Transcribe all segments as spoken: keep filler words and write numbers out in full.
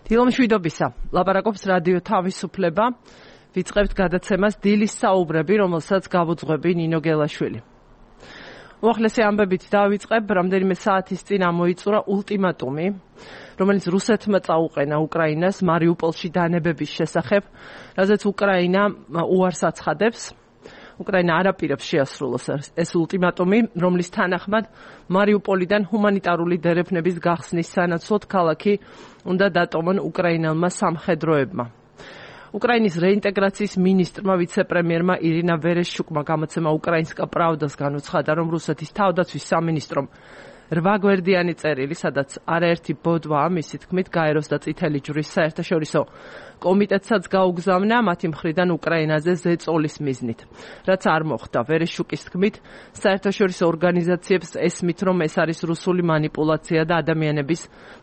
დილომშვიდობისა, ლაპარაკობს რადიო თავისუფლება, ვიწყებთ გადაცემას დილის საუბრები, რომელსაც გავუძღვები ნინო გელაშვილი. უახლესი ამბებით დავიწყებ, რამდენიმე საათის წინ ამოიწურა ულტიმატუმი, რომელიც რუსეთმა წაუყენა უკრაინას მარიუპოლში დანებების შესახებ, რაზეც უკრაინა უარს აცხადებს. უკრაინა არ აპირებს შეასრულოს ეს ულტიმატუმი, რომლის თანახმად მარიუპოლიდან ჰუმანიტარული დერეფნების გახსნის სანაცვლოდ ქალაქი უნდა დატოვონ უკრაინელმა სამხედროებმა. უკრაინის რეინტეგრაციის მინისტრმა ვიცე-პრემიერმა ირინა ვერეშჩუკმა გამოცემა უკრაინსკა პრავდას განუცხადა, რომ რუსეთის თავდაცვის სამინისტრომ რვა გვერდიანი წერილი, სადაც არაერთი ბოდვაა, მისი თქმით, გაეროს და წითელი ჯვრის საერთაშორისო კომიტეტსაც გაუგზავნა მათი მხრიდან უკრაინაზე ზეწოლის მიზნით. რაც არ მოხდა, ვერეშჩუკის თქმით, საერთაშორისო ორგანიზაციებს ესმით, რომ ეს არის რუსული манипуляცია და ადამიანების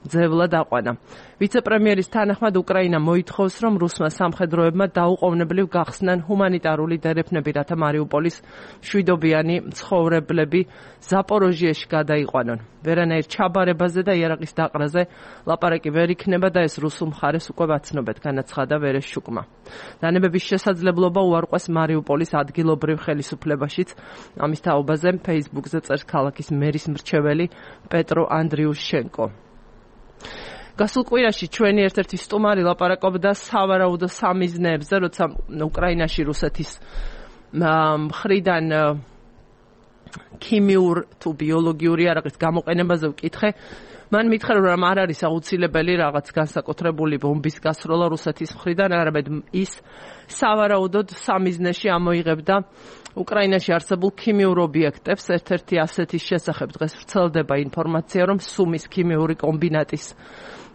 ძევლა დაყვანა. ვიცე-პრემიერის თანახმად უკრაინა მოითხოვს, რომ რუსმა სამხედროებმა დაუყოვნებლივ გახსნან ჰუმანიტარული დერეფნები, რათა მარიუპოლის მშვიდობიანი მცხოვრებლები ზაპოროჟიეში გადაიყვანონ. ვერანაირ ჩაბარებაზე და იარაღის დაყრაზე ლაპარაკი ვერ იქნება და ეს რუსულ მხარეს უკვე ვაცნობეთ, განაცხადა ვერეშჩუკმა. დანებების შესაძლებლობა უარყვეს მარიუპოლის ადგილობრივ ხელისუფლებაშიც. ამის თაობაზე ფეისბუქზე წერს ქალაქის მერის მრჩეველი პეტრო ანდრიუშენკო. გასულ კვირაში ჩვენი ერთ-ერთი სტუმარი ლაპარაკობდა სავარაუდო სამიზნეებზე, როცა უკრაინაში რუსეთის მხრიდან ქიმიურ თუ ბიოლოგიური არაღის გამოყენებაზე ვკითხე. მან მითხრა, რომ არ არის აუცილებელი რაღაც განსაკუთრებული ბომბის გასროლა რუსეთის მხრიდან, არამედ ის სავარაუდოდ სამიზნეში ამოიღებდა უკრაინაში არსებულ ქიმიურ ობიექტებს. ერთ-ერთი ასეთის შესახებ დღეს ვრცელდება ინფორმაცია, რომ სუმის ქიმიური კომბინატის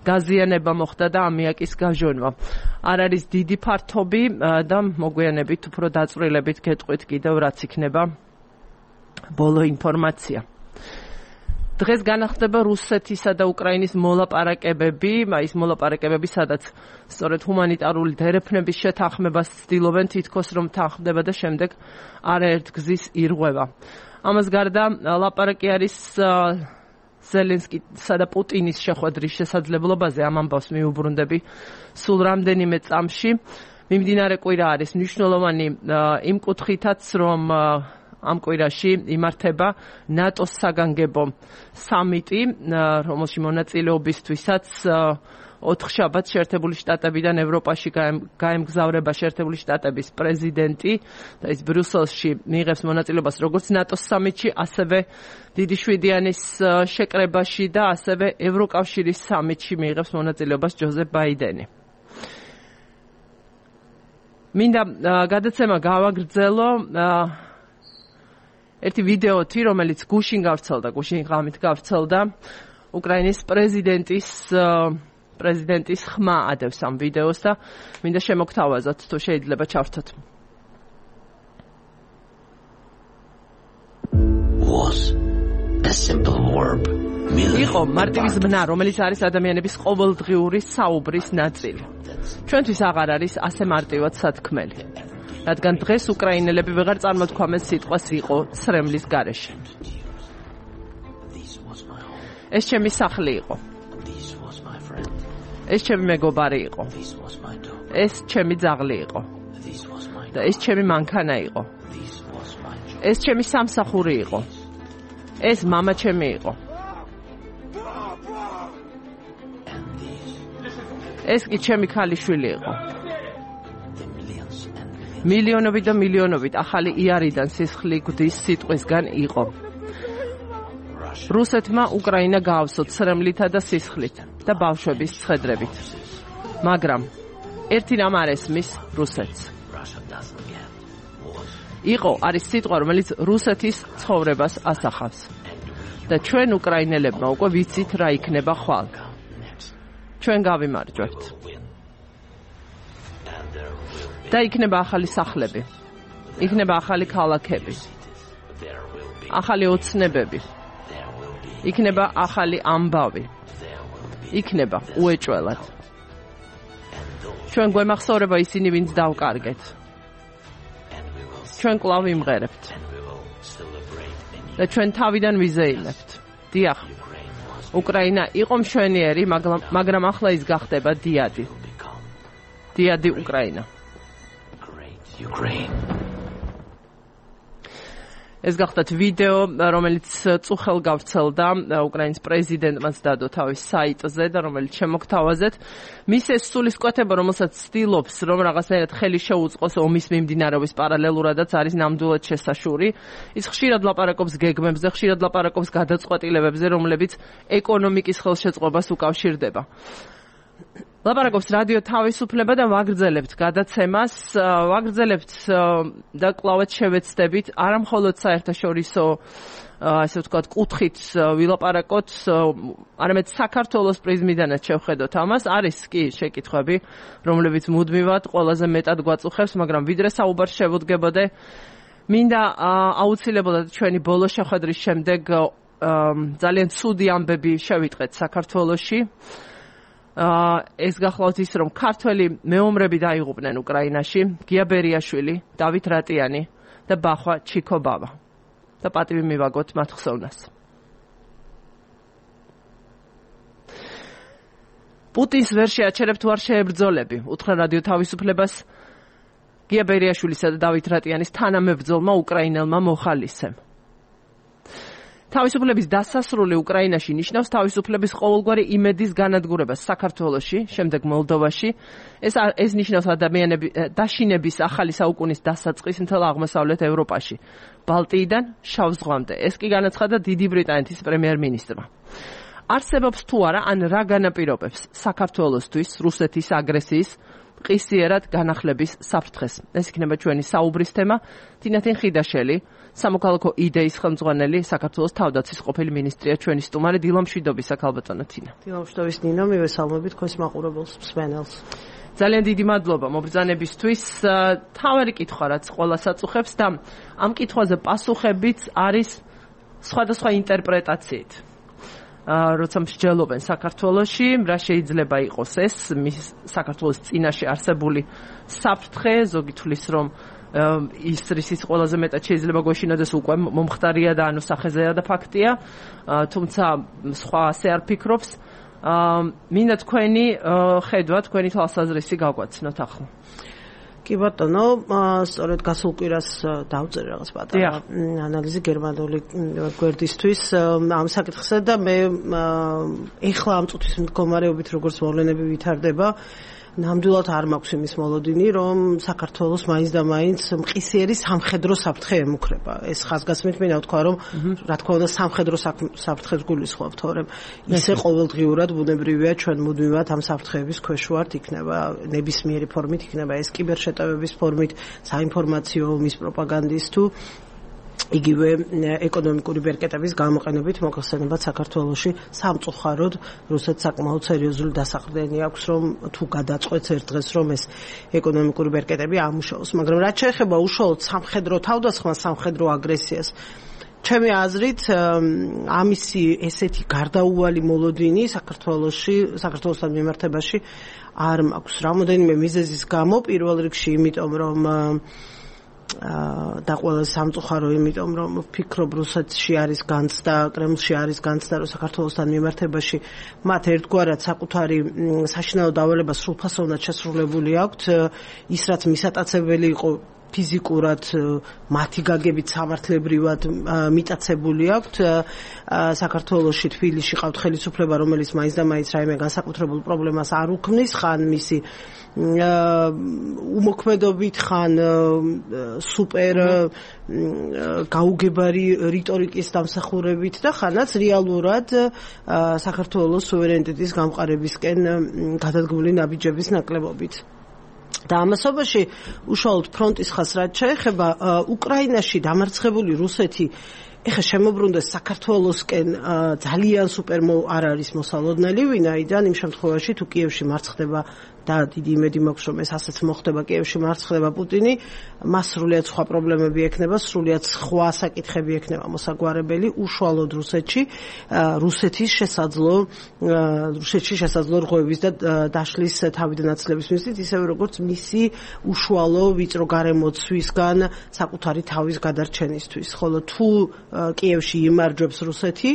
გაზიანება მოხდა და ამიაკის გაჟონვა. არ არის დიდი ფართობი და მოგვიანებით უფრო დაწვრილებით გეტყვით კიდევ რაც იქნება ბოლო ინფორმაცია. დღეს განახდება რუსეთისა და უკრაინის მოლაპარაკებები, ის მოლაპარაკებები, სადაც სწორედ ჰუმანიტარული დერეფნების შეთანხმებას ცდილობენ, თითქოს რომ თანხმდება და შემდეგ არაერთ გზის ირღვევა. ამას გარდა ლაპარაკი არის ზელენსკისა და პუტინის შეხვედრის შესაძლებლობაზე. ამ ამბავს მიუბრუნდები სულ რამდენიმე წამში. მიმდინარე კვირა არის მნიშვნელოვანი იმ კუთხითაც, რომ ამ კვირაში იმართება ნატოს საგანგებო სამიტი, რომელში მონაწილეობისთვისაც ოთხშაბათს შეერთებული შტატებიდან ევროპაში გაემგზავრება შეერთებული შტატების პრეზიდენტი და ის ბრიუსელში მიიღებს მონაწილეობას როგორც ნატოს სამიტში, ასევე დიდი შვიდიანის შეკრებაში და ასევე ევროკავშირის სამიტში მიიღებს მონაწილეობას ჯოზეფ ბაიდენი. მინდა გადაცემა გავაგრძელო ერთი ვიდეოთი, რომელიც გუშინ გავრცელდა, გუშინ ღამით გავრცელდა უკრაინის პრეზიდენტის პრეზიდენტის ხმა ადევს ამ ვიდეოს და მინდა შემოგთავაზოთ, თუ შეიძლება ჩავრთოთ. Was a simple verb. იყო მარტივი ზმნა, რომელიც არის ადამიანების ყოველდღიური საუბრის ნაწილი. ჩვენთვის აღარ არის ასე მარტივად სათქმელი. რადგან დღეს უკრაინელები ვეღარ წარმოთქვამენ სიტყვას იყო ცრემლის გარეშე. ეს ჩემი სახლი იყო. ეს ჩემი მეგობარი იყო. ეს ჩემი ძაღლი იყო. და ეს ჩემი მანქანა იყო. ეს ჩემი სამსახური იყო. ეს მამა ჩემი იყო. ეს კი ჩემი ქალიშვილი იყო. მილიონობით და მილიონობით ახალი იარიდან სისხლი გვდის სიტყვისგან იყო. რუსეთმა უკრაინა გაავსო ცრემლითა და სისხლით და ბავშვების ცხედრებით. მაგრამ ერთი რამ არ ესმის რუსეთს. იყო არის სიტყვა, რომელიც რუსეთის ცხოვრებას ასახავს. და ჩვენ უკრაინელებმა უკვე ვიცით რა იქნება ხვალ. ჩვენ გავიმარჯვებთ. და იქნება ახალი სახლები, იქნება ახალი ქალაქები, ახალი ოცნებები, იქნება ახალი ამბავი, იქნება უეჭველად. ჩვენ გვემახსოვრება ისინი, ვინც დავკარგეთ. ჩვენ კვლავ ვიმღერებთ და ჩვენ თავიდან ვიზეიმებთ. დიახ, უკრაინა იყო მშვენიერი, მაგრამ ახლა ის გახდება დიადი. დიადი უკრაინა. ეს გახდათ ვიდეო, რომელიც წუხელ გავრცელდა უკრაინის პრეზიდენტმაც დადო თავის საიტზე და რომელიც შემოგთავაზეთ. მის ეს სულისკვეთება, რომელსაც ცდილობს, რომ რაღაცნაირად ხელი შეუწყოს ომის მიმდინარეობის პარალელურადაც არის ნამდვილად შესაშური. ის ხშირად ლაპარაკობს გეგმებზე, ხშირად ლაპარაკობს გადაწყვეტილებებზე, რომლებიც ეკონომიკის ხელშეწყობას უკავშირდება. ლაპარაკობს რადიო თავისუფლება და ვაგრძელებთ გადაცემას, ვაგრძელებთ და კლავად შევეცდებით არა მხოლოდ საერთაშორისო ასე ვთქვათ კუთხით ვილაპარაკოთ, არამედ საქართველოს პრიზმიდანაც შევხედოთ ამას. არის კი შეკითხვები, რომლებიც მუდმივად ყველაზე მეტად გვაწუხებს, მაგრამ ვიდრე საუბარს შევუდგებოდე, მინდა აუცილებლად ჩვენი ბოლო შეხვედრის შემდეგ ძალიან ცუდი ამბები შევიტყეთ საქართველოში. ეს გახლავთ ის, რომ ქართველი მეომრები დაიღუპნენ უკრაინაში, გია ბერიაშვილი, დავით რატიანი და ბახვა ჩიკობავა. და პატივი მივაგოთ მათ ხსოვნას. პუტინს ვერ შეაჩერებთ ვარ შეებრძოლები, უთხრა რადიო თავისუფლებას გია ბერიაშვილისა და დავით რატიანის თანამებრძოლმა უკრაინელმა მოხალისემ. თავისუფლების დასასრული უკრაინაში ნიშნავს თავისუფლების ყოველგვარი იმედის განადგურებას საქართველოში, შემდეგ მოლდოვაში. ეს ეს ნიშნავს ადამიანების დაშინების ახალი საუკუნის დასაწყის მთელ აღმოსავლეთ ევროპაში, ბალტიიდან შავ ზღვამდე. ეს კი განაცხადა დიდი ბრიტანეთის პრემიერ-მინისტრმა. არსებობს თუ არა, ან რა განაპირობებს საქართველოსთვის რუსეთის აგრესიის ყისიერად განახლების საფრთხეს. ეს იქნება ჩვენი საუბრის თემა. თინათინ ხიდაშელი, სამოქალაქო იდეის ხელმძღვანელი, საქართველოს თავდაცვის ყოფილი მინისტრია, ჩვენი სტუმარი. დილამშვიდობისა, ქალბატონო თინა. დილამშვიდობის ნინო, მივესალმებით თქვენს მაყურებელს, მსმენელს. ძალიან დიდი მადლობა მობრძანებისთვის. თავარი კითხვა, რაც ყველას აწუხებს და ამ კითხვაზე პასუხებიც არის სხვადასხვა ინტერპრეტაციით. როცა მსჯელობენ საქართველოში, რა შეიძლება იყოს ეს მის საქართველოს წინაშე არსებული საფრთხე, ზოგი თვლის რომ ის რისიც ყველაზე მეტად შეიძლება გვეშინოდეს უკვე მომხდარია და ანუ სახეზეა და ფაქტია, თუმცა სხვა ასე არ ფიქრობს. მინდა თქვენი ხედვა, თქვენი თვალსაზრისი გავგვაცნოთ ახლა. კი ბატონო, სწორედ გასულ კვირას დავწერე რაღაც პატარა ანალიზი გერმანული გვერდისთვის ამ საკითხსა და მე ეხლა ამ წუთის მდგომარეობით როგორც მოვლენები ვითარდება, ნამდვილად არ მაქვს იმის მოლოდინი, რომ საქართველოს მაინც და მაინც მყისიერი სამხედრო საფრთხე ემუქრება. ეს ხაზგასმით მინდა ვთქვა, რომ რა თქმა უნდა სამხედრო საფრთხეს გულისხმობ, თორემ ისე ყოველდღიურად ბუნებრივია ჩვენ მუდმივად ამ საფრთხეების ქვეშ ვართ, იქნება ნებისმიერი ფორმით, იქნება ეს კიბერშეტევების ფორმით, საინფორმაციო ომის პროპაგანდის თუ იგივე ეკონომიკური ბერკეტების გამოყენებით მოხსენებად საქართველოში სამწუხაროდ რუსეთს საკმაოდ სერიოზული დასაყრდენი აქვს, რომ თუ გადაწყვეტს ერთ დღეს რომ ეს ეკონომიკური ბერკეტები ამუშავოს. მაგრამ რაც შეეხება უშუალოდ სამხედრო თავდასხმას, სამხედრო აგრესიას, ჩემი აზრით ამისი ესეთი გარდაუვალი მოლოდინი საქართველოში, საქართველოსთან მიმართებაში არ მაქვს. რამოდენიმე მიზეზის გამო, პირველ რიგში იმიტომ რომ და ყველა სამწუხარო იმიტომ რომ ვფიქრობ რუსეთში არის განცდა, კრემლში არის განცდა, რომ საქართველოსთან მიმართებაში მათ ერთგვარად საკუთარი საშინაო დავალება სრულფასოვნად შესრულებული აქვთ, ის რაც მისატაცებელი იყო ფიზიკურად მათი გაგებით სამართლებრივად მიტაცებული აქვთ. საქართველოში თბილისში ყავთ ხელისუფლება, რომელიც მაინც და მაინც რაიმე განსაკუთრებულ პრობლემას არ უქმნის, ხან მისი უმოქმედობით, ხან სუპერ გაუგებარი რიტორიკის დამსახურებით და ხანაც რეალურად საქართველოს სუვერენიტეტის გამყარებისკენ გადადგმული ნაბიჯების ნაკლებობით. და ამასობაში უშუალოდ ფრონტის ხაზს რაც შეეხება უკრაინაში დამარცხებული რუსეთი ეხა შემოbrunდეს საქართველოსკენ ძალიან სუპერ არ არის მოსალოდნელი, ვინაიდან იმ შემთხვევაში თუ კიევში მარცხდება და დიდი იმედი მაქვს რომ ეს ასეც მოხდება კიევში მარცხდება პუტინი მას სრულიად სხვა პრობლემები ექნება სრულიად სხვა საკითხები ექნება მოსაგვარებელი უშუალოდ რუსეთში რუსეთის შესაძლო რუსეთში შესაძლო რღვევის და დაშლის თავიდანაცლების მიზნით ისევე როგორც მისი უშუალო ვიწრო გარემოცვისგან საკუთარი თავის გადარჩენისთვის ხოლო თუ კიევში იმარჯვებს რუსეთი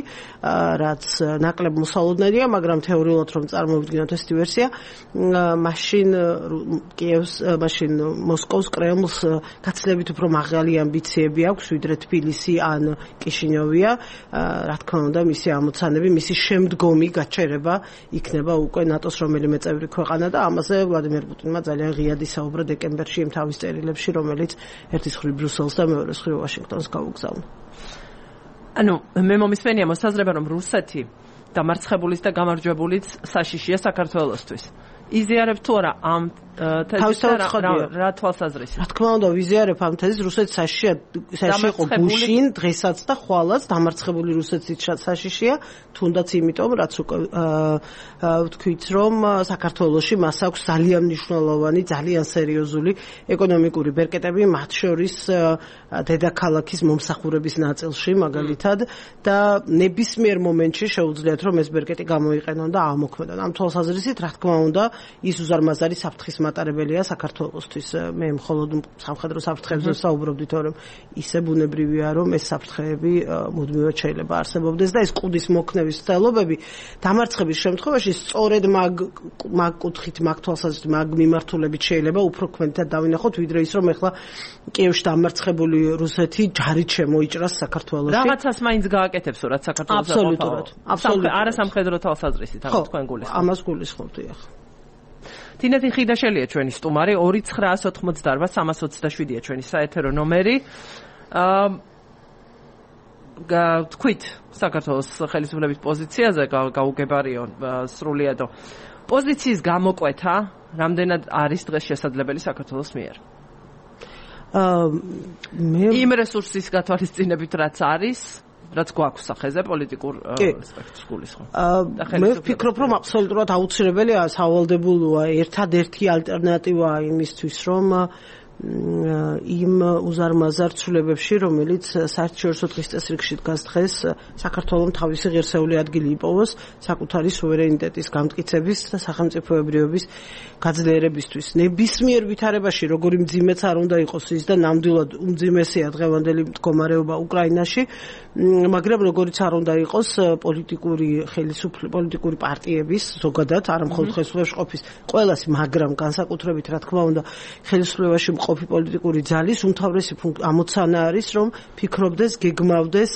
რაც ნაკლებ მოსალოდნელია მაგრამ თეორიულად რომ წარმოვიდგინოთ ესეთი ვერსია მაშინ კიევს მაშინ მოსკოვს კრემლს გაცილებით უფრო მაღალი ამბიციები აქვს ვიდრე თბილისი ან კიშინიოვია რა თქმა უნდა მისი ამოცანები მისი შემდგომი გაჩერება იქნება უკვე ნატოს რომელიმე წევრი ქვეყანა და ამაზე ვლადიმერ პუტინმა ძალიან ღიად ისაუბრა დეკემბერში იმ თავის წერილებში რომელიც ერთის მხრივ ბრიუსელს და მეორეს მხრივ ვაშინგტონს გაუგზავნა ანუ მე მომისმენია მოსაზრება რომ რუსეთი დამარცხებულის და გამარჯვებულის საშიშია საქართველოსთვის იზიარებ თუ არა ამ თეზისს რა თვალსაზრისით რა თქმა უნდა ვიზიარებ ამ თეზისს რუსეთი საშიშია საშიშია იყო გუშინ დღესაც და ხვალაც დამარცხებული რუსეთის საშიშია თუნდაც იმიტომ რაც უკვე ვთქვით რომ საქართველოში მას აქვს ძალიან მნიშვნელოვანი ძალიან სერიოზული ეკონომიკური ბერკეტები მათ შორის დედაქალაქის მომსახურების ნაწილში მაგალითად და ნებისმიერ მომენტში შეუძლიათ რომ ეს ბერკეტი გამოიყენონ და ამოქმედონ ამ თვალსაზრისით რა თქმა უნდა ის უზარმაზარი საფრთხის მატარებელია საქართველოსთვის მე მხოლოდ სამხედრო საფრთხებზე საუბრობდით რომ ისე ბუნებრივია რომ ეს საფრთხეები მუდმივად შეიძლება არსებობდეს და ეს კუდის მოქნევის ცდილობები დამარცხების შემთხვევაში სწორედ მაგ მაგ კუთხით მაგ თვალსაზრისით მაგ მიმართულებით შეიძლება უფრო ქმედად დავინახოთ ვიდრე ის რომ ეხლა კიევში დამარცხებული რუსეთი ჯარით შემოიჭრას საქართველოში რაღაცას მაინც გააკეთებს რაც საქართველოს აბსოლუტურად აბსოლუტურად არა სამხედრო თვალსაზრისით ამ თქვენ გულისხმობთ ამას გულისხმობთ ეხლა თინეთი ხიდაშელია ჩვენი სტუმარი ორი ცხრაას ოთხმოცდაარბა სამას ოცდაშვიდია ჩვენი საეთერო ნომერი აა თქვით საქართველოს ხელისუფლების პოზიციაზე გაუგებარიო სრულიადო პოზიციის გამოკვეთა რამდენად არის დღეს შესაძლებელი საქართველოს მიერ აა მე იმ რესურსის გათვალისწინებით რაც არის რაც გვაქვს სახეზე პოლიტიკურ სპექტრს გულისხმობ. მე ვფიქრობ, რომ აბსოლუტურად აუცილებელია სავალდებულოა ერთადერთი ალტერნატივა იმისთვის, რომ იმ უზარმაზარ ცვლილებებში, რომელიც საერთაშორისო დღის წესრიგში დგას დღეს, საქართველოს თავისი ღირსეული ადგილი იპოვოს საკუთარი სუვერენიტეტის გამტკიცების და სახელმწიფოებრიობის გაძლიერებისთვის. ნებისმიერ ვითარებაში, როგორი მძიმეც არ უნდა იყოს ის და ნამდვილად უმძიმესია დღევანდელი მდგომარეობა უკრაინაში, მაგრამ როგორიც არ უნდა იყოს პოლიტიკური ხელისუფლების პოლიტიკური პარტიების ზოგადად არ მხოლოდ ხელისუფლებაში ყოფის ყველასი, მაგრამ განსაკუთრებით რა თქმა უნდა ხელისუფლებაში ყოფი პოლიტიკური ძალის უმთავრესი ამოცანა არის რომ ფიქრობდეს, გეგმავდეს,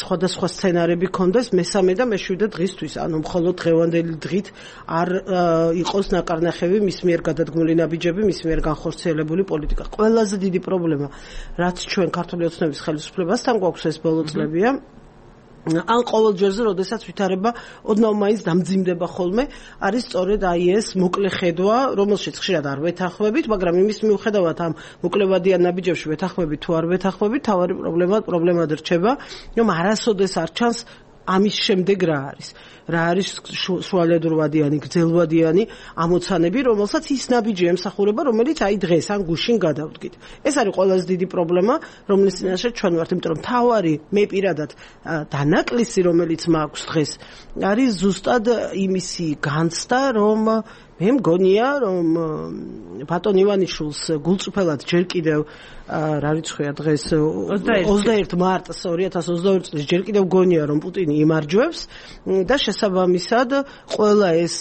სხვადასხვა სცენარები ქონდეს მესამე და მეშვიდე დღისთვის, ანუ მხოლოდ დღევანდელი დღით არ იყოს ნაკარნახევი მის მიერ გადადგმული ნაბიჯები, მის მიერ განხორციელებული პოლიტიკა. ყველაზე დიდი პრობლემა, რაც ჩვენ ქართული ოცნების ხელისუფლებასთან გვაქვს ეს ბოლო წლებია, ან ყოველ ჯერზე, როდესაც ვითარება ოდნავ მაინც დამძიმდება ხოლმე, არის სწორედ აი ეს მოკლე ხედვა, რომელშიც ხშირად არ ვეთანხმებით, მაგრამ იმის მიუხედავად ამ მოკლევადიან ნაბიჯებში ვეთანხმებით თუ არ ვეთანხმებით, თავარი პრობლემა პრობლემად რჩება, რომ არასოდეს არ ჩანს ამის შემდეგ რა არის. რა არის შუალედურვადიანი, გრძელვადიანი ამოცანები, რომელსაც ის ნაბიჯი ემსახურება, რომელიც აი დღეს ან გუშინ გადავდგით. ეს არის ყველაზე დიდი პრობლემა, რომლის წინაშე ჩვენ ვართ, იმიტომ რომ თავარი მე პირადად დანაკლისი, რომელიც მაქვს დღეს, არის ზუსტად იმისი განცდა, რომ მე მგონია, რომ ბატონ ივანიშვილს გულწრფელად ჯერ კიდევ რა რიცხვია დღეს ოცდაერთი მარტს ორი ათას ოცდაორი წლის ჯერ კიდევ გონია რომ პუტინი იმარჯვებს და შესაბამისად ყველა ეს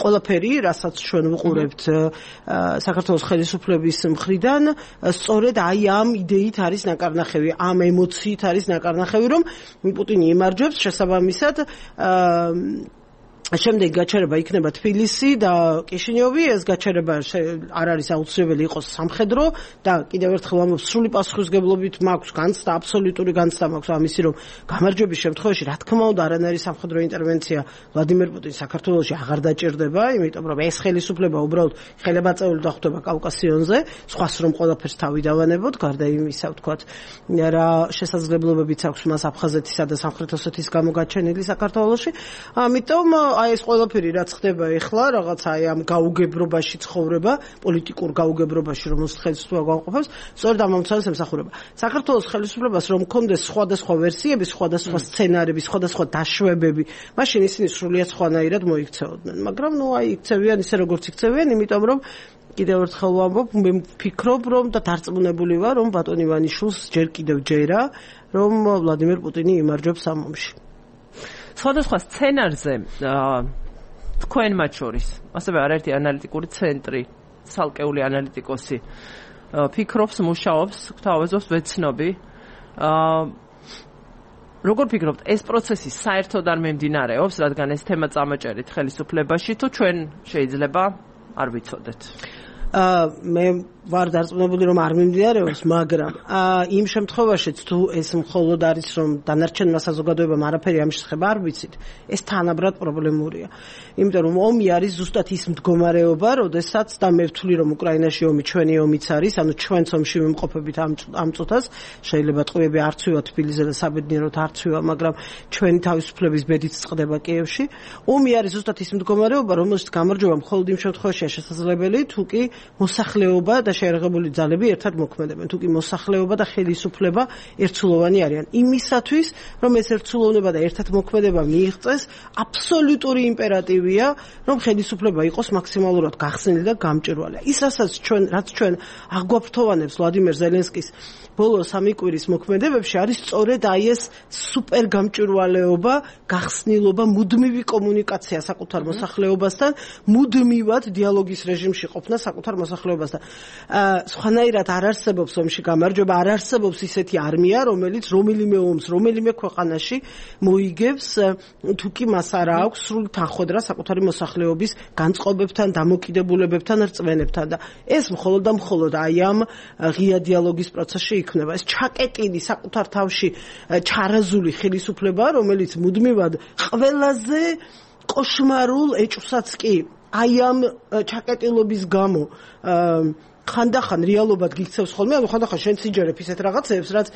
ყველაფერი რასაც ჩვენ ვუყურებთ საქართველოს ხელისუფლების მხრიდან სწორედ აი ამ იდეით არის ნაკარნახევი ამ ემოციით არის ნაკარნახევი რომ პუტინი იმარჯვებს შესაბამისად შემდეგ გაჩერება იქნება თბილისი და კიშინიოვი, ეს გაჩერება არ არის აუცილებელი იყოს სამხედრო და კიდევ ერთხელ ამბობ სრული პასუხისმგებლობით მაქვს განცდა, აბსოლუტური განცდა მაქვს ამისი, რომ გამარჯვების შემთხვევაში რა თქმა უნდა არანაირი სამხედრო ინტერვენცია ვლადიმერ პუტინს საქართველოში აღარ დაჭირდება, იმიტომ რომ ეს ხელისუფლება უბრალოდ ხელებაწეული დახვდება კავკასიონზე, სხვას რომ ყველაფერს თავი დავანებოთ, გარდა იმისა, ვთქვათ, რა შესაძლებლობებიც აქვს მას აფხაზეთისა და სამხრეთ ოსეთის გამოგაჩენილი საქართველოში, ამიტომ რომ აი ეს ყველაფერი რაც ხდება ეხლა, რაღაც აი ამ გაუგებრობაში ცხოვრება, პოლიტიკურ გაუგებრობაში, რომელსაც ხელისუფლება განყოფებს, სწორედ ამ ამცავს ემსახურება. საქართველოს ხელისუფლებას რომ მქონდეს სხვადასხვა ვერსიები, სხვადასხვა სცენარები, სხვადასხვა დაშვებები, მაშინ ისინი სრულიად სხვანაირად მოიქცეოდნენ. მაგრამ ნუ აი იქცევიან ისე როგორც იქცევიან, იმიტომ რომ კიდევ ერთხელ ვამბობ, მე ვფიქრობ, რომ და დარწმუნებული ვარ, რომ ბატონ ივანიშვილს ჯერ კიდევ ჯერა, რომ ვლადიმერ პუტინი იმარჯვებს ამ ომში. სხვადასხვა სცენარზე თქვენ მათ შორის, ასევე არაერთი ანალიტიკური ცენტრი, ცალკეული ანალიტიკოსი ფიქრობს, მუშაობს, გვთავაზობს ვეცნობი. როგორ ფიქრობთ, ეს პროცესი საერთოდ არ მიმდინარეობს, რადგან ეს თემა წამოჭერით ხელისუფლებაში, თუ ჩვენ შეიძლება არ ვიცოდეთ? მე ვარ დარწმუნებული რომ არ მიმდინარეობს, მაგრამ იმ შემთხვევაშიც თუ ეს მხოლოდ არის რომ დანარჩენმა საზოგადოებამ არაფერი ამ შესახებ არ ვიცით, ეს თანაბრად პრობლემურია. იმიტომ რომ ომი არის ზუსტად ის მდგომარეობა, როდესაც და მე ვთვლი რომ უკრაინაში ომი ჩვენი ომიც არის, ანუ ჩვენც ომში ვიმყოფებით ამ წუთას, შეიძლება ტყვიები არ ცვივა თბილისზე და საბედნიეროდ არ ცვივა, მაგრამ ჩვენი თავისუფლების ბედით წყდება კიევში. ომი არის ზუსტად ის მდგომარეობა, რომელშიც გამარჯვება მხოლოდ იმ შემთხვევაშია შესაძლებელი, თუ კი მოსახლეობა და შეერაღებული ძალები ერთად მოქმედებენ, თუ კი მოსახლეობა და ხელისუფლება ერთსულოვანი არიან. იმისათვის, რომ ეს ერთსულოვნება და ერთად მოქმედება მიიღწეს, აბსოლუტური იმპერატივია, რომ ხელისუფლება იყოს მაქსიმალურად გახსნილი და გამჭვირვალე. ის რასაც ჩვენ, რაც ჩვენ აგვაფრთოვანებს ვლადიმერ ზელენსკის ბოლო სამი კვირის მოქმედებებში არის სწორედ აი ეს სუპერ გამჭვირვალეობა, გახსნილობა, მუდმივი კომუნიკაცია საკუთარ მოსახლეობასთან, მუდმივად დიალოგის რეჟიმში ყოფნა საკუთარ მოსახლეობასთან. სხვანაირად არ არსებობს ომში გამარჯვება, არ არსებობს ისეთი არმია, რომელიც რომელიმე ომს, რომელიმე ქვეყანაში მოიგებს, თუ კი მას არ აქვს სრული თანხმდრა საკუთარი მოსახლეობის განწყობებთან, დამოკიდებულებებთან, რწმენებთან და ეს მხოლოდ და მხოლოდ აი ამ ღია დიალოგის პროცესში იქნება. ეს ჩაკეტილი საკუთარ თავში ჩარაზული ხელისუფლება, რომელიც მუდმივად ყველაზე კოშმარულ ეჭვსაც კი აი ამ ჩაკეტილობის გამო ხანდახან რეალობად გიქცევს ხოლმე, ანუ ხანდახან შენ სიჯერებ ისეთ რაღაცებს, რაც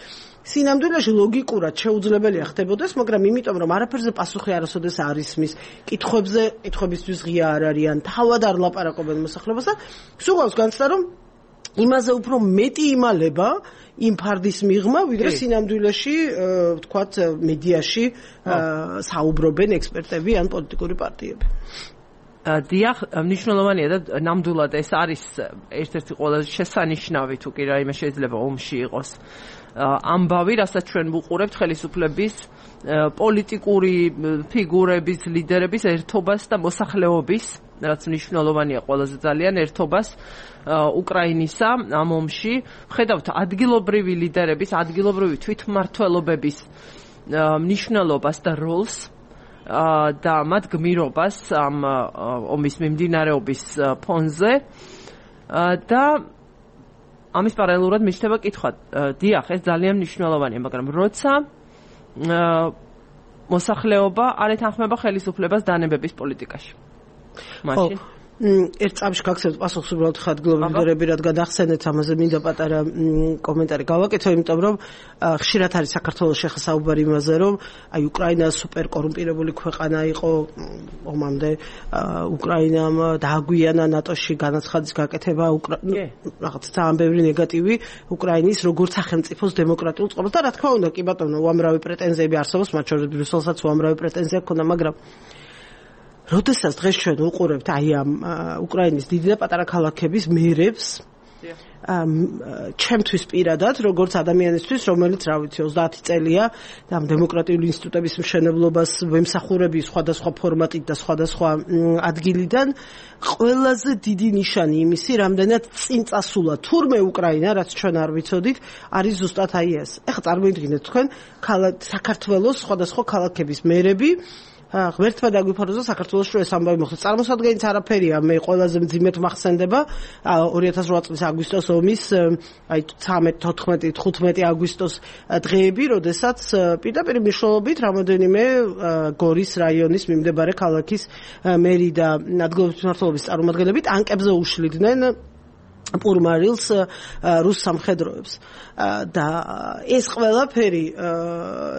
სინამდვილეში ლოგიკურად შეუძლებელია ხდებოდეს, მაგრამ იმიტომ რომ არაფერზე პასუხი არასოდეს არ ისმის, კითხვებზე, კითხვებისთვის ღია არ არიან, თავად არ ლაპარაკობენ მოსახლეობასთან, სულ განცდა რომ იმაზე უფრო მეტი იმალება იმ ფარდის მიღმა, ვიდრე სინამდვილეში, ვთქვათ, მედიაში საუბრობენ ექსპერტები ან პოლიტიკური პარტიები. დიახ, მნიშვნელოვანია და ნამდვილად ეს არის ერთ-ერთი ყველაზე შესანიშნავი, თუ კი რაიმე შეიძლება ომში იყოს ამბავი, რასაც ჩვენ ვუყურებთ ხელისუფლების პოლიტიკური ფიგურების, ლიდერების ერთობას და მოსახლეობის, რაც მნიშვნელოვანია ყველაზე ძალიან ერთობას უკრაინისა ამ ომში. ვხედავთ ადგილობრივი ლიდერების, ადგილობრივი თვითმმართველობების მნიშვნელობას და როლს და მათ გმირობას ამ ომის მიმდინარეობის ფონზე და ამის პარალელურად მიჩნდება კითხვა, დიახ, ეს ძალიან მნიშვნელოვანია, მაგრამ როცა მოსახლეობა არ ეთანხმება ხელისუფლებას დანებების პოლიტიკაში. მაშინ ერთ წამში გაქცევთ პასუხს უბრალოდ ადგილობრივი ლიდერები, რადგან ახსენეთ ამაზე მინდა პატარა კომენტარი გავაკეთო, იმიტომ რომ ხშირად არის საქართველოს შეხა საუბარი იმაზე, რომ აი უკრაინა სუპერ კორუმპირებული ქვეყანა იყო ომამდე, უკრაინამ დააგვიანა ნატოში განაცხადის გაკეთება, რაღაც ძალიან ბევრი ნეგატივი უკრაინის როგორც სახელმწიფოს დემოკრატიულ წყობას და რა თქმა უნდა, კი ბატონო, უამრავი პრეტენზიები არსებობს, მათ შორის ბრიუსელსაც უამრავი პრეტენზია ჰქონდა, მაგრამ როდესაც დღეს ჩვენ უყურებთ აი ამ უკრაინის დიდი და პატარა ქალაქების მერებს, ჩემთვის პირადად, როგორც ადამიანისთვის, რომელიც, რა ვიცი, ოცდაათი წელია ამ დემოკრატიული ინსტიტუტების მშენებლობას ვემსახურები სხვადასხვა ფორმატით და სხვადასხვა ადგილიდან, ყველაზე დიდი ნიშანი იმისი, რამდენად წინ წასულა თურმე უკრაინა, რაც ჩვენ არ ვიცოდით, არის ზუსტად აი ეს. ეხლა წარმოიდგინეთ თქვენ საქართველოს სხვადასხვა ქალაქების მერები, ღმერთმა დაგვიფაროს საქართველოს რო ეს ამბავი მოხდეს. წარმოსადგენიც არაფერია, მე ყველაზე მძიმედ მახსენდება ორი ათას ოთხ წლის აგვისტოს ომის, აი ცხრამეტი, თოთხმეტი, თხუთმეტი აგვისტოს დღეები, როდესაც პირდაპირ მნიშვნელობით რამოდენიმე გორის რაიონის მიმდებარე ქალაქის მერი და ადგილობრივი მმართველობის წარმომადგენლები ტანკებზე უშლიდნენ პურმარილს რუს სამხედროებს და ეს ყველაფერი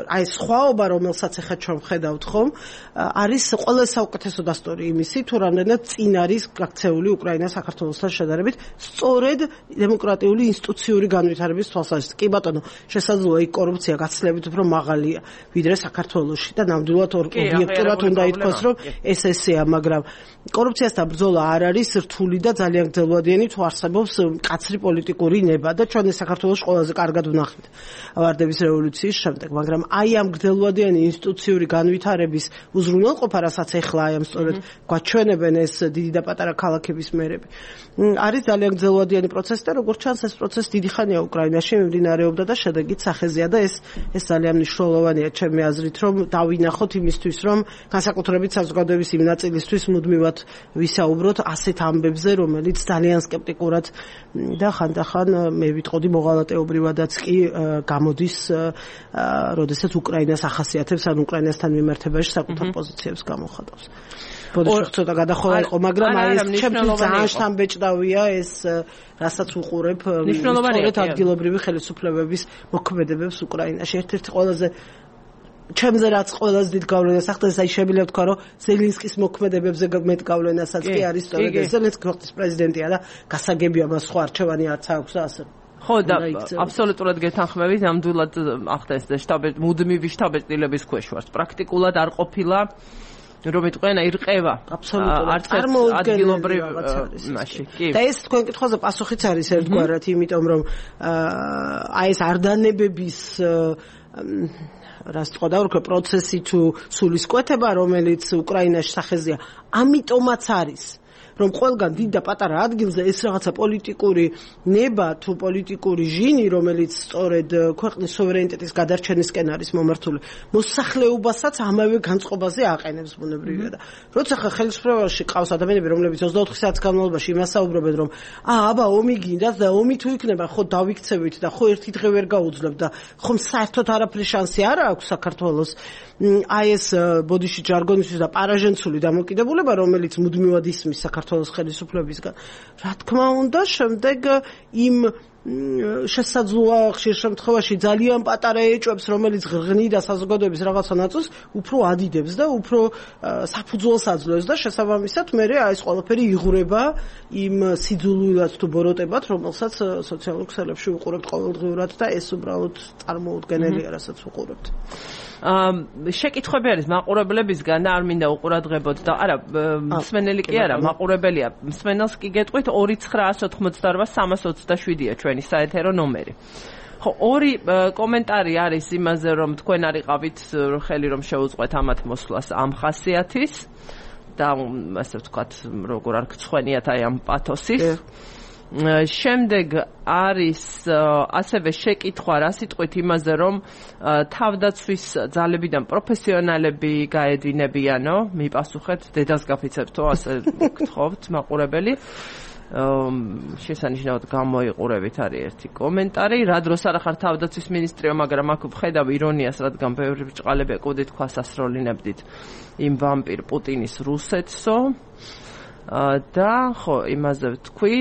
აი სხვაობა რომელსაც ახლა ჩვენ ვხედავთ ხომ არის ყველა საუკეთესო დასტური იმისი თუ რამდენად წინ არის გაქცეული უკრაინა საქართველოსთან შედარებით სწორედ დემოკრატიული ინსტიტუციური განვითარების თვალსაზრისით კი ბატონო შესაძლოა იქ კორუფცია გაცილებით უფრო მაღალია ვიდრე საქართველოში და ნამდვილად ობიექტურად უნდა ითქვას რომ ეს ესეა მაგრამ კორუფციასთან ბრძოლა არ არის რთული და ძალიან გრძელვადიანი თუ არსებობს კაცრი პოლიტიკური ნება და ჩვენ საქართველოს ყველაზე კარგად ვნახეთ ვარდების რევოლუციის შემდეგ, მაგრამ აი ამ გრძელვადიანი ინსტიტუციური განვითარების უზრუნველყოფა, რასაც ეხლა აი ამ სწორედ გვაჩვენებენ ეს დიდი და პატარა ქალაქების მერები. არის ძალიან გრძელვადიანი პროცესი და როგორც ჩანს ეს პროცესი დიდი ხანია უკრაინაში მიმდინარეობდა და შედეგიც სახეზეა და ეს ეს ძალიან მნიშვნელოვანია ჩემი აზრით, რომ დავინახოთ იმისთვის, რომ განსაკუთრებით საზოგადოების იმ ნაწილისთვის მუდმივად ვისაუბროთ ასეთ ამბებზე, რომელიც ძალიან სკეპტიკურად და ხანდახან მე ვიტყოდი მოღალატეობრივადაც კი გამოდის, როდესაც უკრაინას ახასიათებს ან უკრაინასთან მიმართებაში საკუთარ პოზიციებს გამოხატავს. ბოდიშ ცოტა გადახოლა იყო, მაგრამ აი ეს ჩემთვის ძალიან შთამბეჭდავია ეს რასაც უყურებ სწორედ ადგილობრივი ხელისუფლებების მოქმედებებს უკრაინაში. ერთ-ერთი ყველაზე ჩემზე რაც ყველაზე დიდ გავლენას ახდენს, აი შემიძლია ვთქვა, რომ ზელენსკის მოქმედებებზე მეტ გავლენასაც კი არის სწორედ ეს. ზელენსკი ქვეყნის პრეზიდენტია და გასაგებია მას სხვა არჩევანი არც აქვს და ასე. ხო და აბსოლუტურად გეთანხმებით, ნამდვილად ახდენს და შტაბ მუდმივი შტაბ-ეტილების ქვეშ ვართ. პრაქტიკულად არ ყოფილა რომ იტყვენა ირყევა აბსოლუტურად ადგილობრივ მაშინ კი და ეს თქვენ კითხვაზე პასუხიც არის ერთგვარად, იმიტომ რომ აი ეს არდანებების რას თქვა და ვთქვა პროცესი თუ სულისკვეთება, რომელიც უკრაინაში სახეზეა, ამიტომაც არის რომ ყველგან დიდ და პატარა ადგილზე ეს რაღაცა პოლიტიკური ნება თუ პოლიტიკური ჟინი, რომელიც სწორედ ქვეყნის სუვერენიტეტის გადარჩენისკენ არის მომართული, მოსახლეობასაც ამავე განწყობაზე აყენებს ბუნებრივია და როცა ხა ხელისუფლებაში ყავს ადამიანები, რომლებიც ოცდაოთხ საათის განმავლობაში იმას საუბრობენ, რომ აა აბა ომი გინდათ და ომი თუ იქნება, ხო დავიქცევით და ხო ერთი დღე ვერ გაუძლებთ და ხომ საერთოდ არაფრის შანსი არ აქვს საქართველოს აი ეს ბოდიში ჯარგონისთვის და პარაჟენცული დამოკიდებულება, რომელიც მუდმივად ისმის საქართველოს ხელისუფლებისგან. რა თქმა უნდა, შემდეგ იმ შესაძლოა ხშირ შემთხვევაში ძალიან პატარა ეჭვებს, რომელიც ღრღნიდა საზოგადოების რაღაცა ნაწილს, უფრო ადიდებს და უფრო საფუძველს აძლევს და შესაბამისად მე აი ეს ყველაფერი იღურება იმ სიძულვილად თუ ბოროტებად, რომელსაც სოციალურ ქსელებში უყურებთ ყოველდღიურად და ეს უბრალოდ წარმოუდგენელია, რასაც უყურებთ. აა შეკითხვები არის მაყურებლებისგან და არ მინდა უყურადღებოთ და არა მსმენელი კი არა მაყურებელია მსმენელს კი გეტყვით ორი ცხრაას ოთხმოცდაორ სამას ოცდაშვიდია ჩვენი საეთერო ნომერი. ხო ორი კომენტარი არის იმაზე რომ თქვენ არიყავით ხელი რომ შეუწყვეთ ამათ მოსვლას ამ ხასიათის და ასე ვთქვათ როგორ არ გცხვენიათ აი ამ პათოსის. შემდეგ არის ასევე შეკითხვა რა სიტყვით იმაზე რომ თავდაცვის ძალებიდან პროფესიონალები გაედინებიანო, მიპასუხეთ, დედას გაფიცებთო, ასე გთხოვთ მაყურებელი. შესანიშნავად გამოიყურებით არის ერთი კომენტარი. რა დროს არ ახარ თავდაცვის მინისტრიო, მაგრამ აქ ვხედავ ირონიას, რადგან ბევრი ბრჭყალები ეკუდით ქვას ასრულინებდით იმ ვამპირ პუტინის რუსეთსო. და ხო იმაზე ვთქვი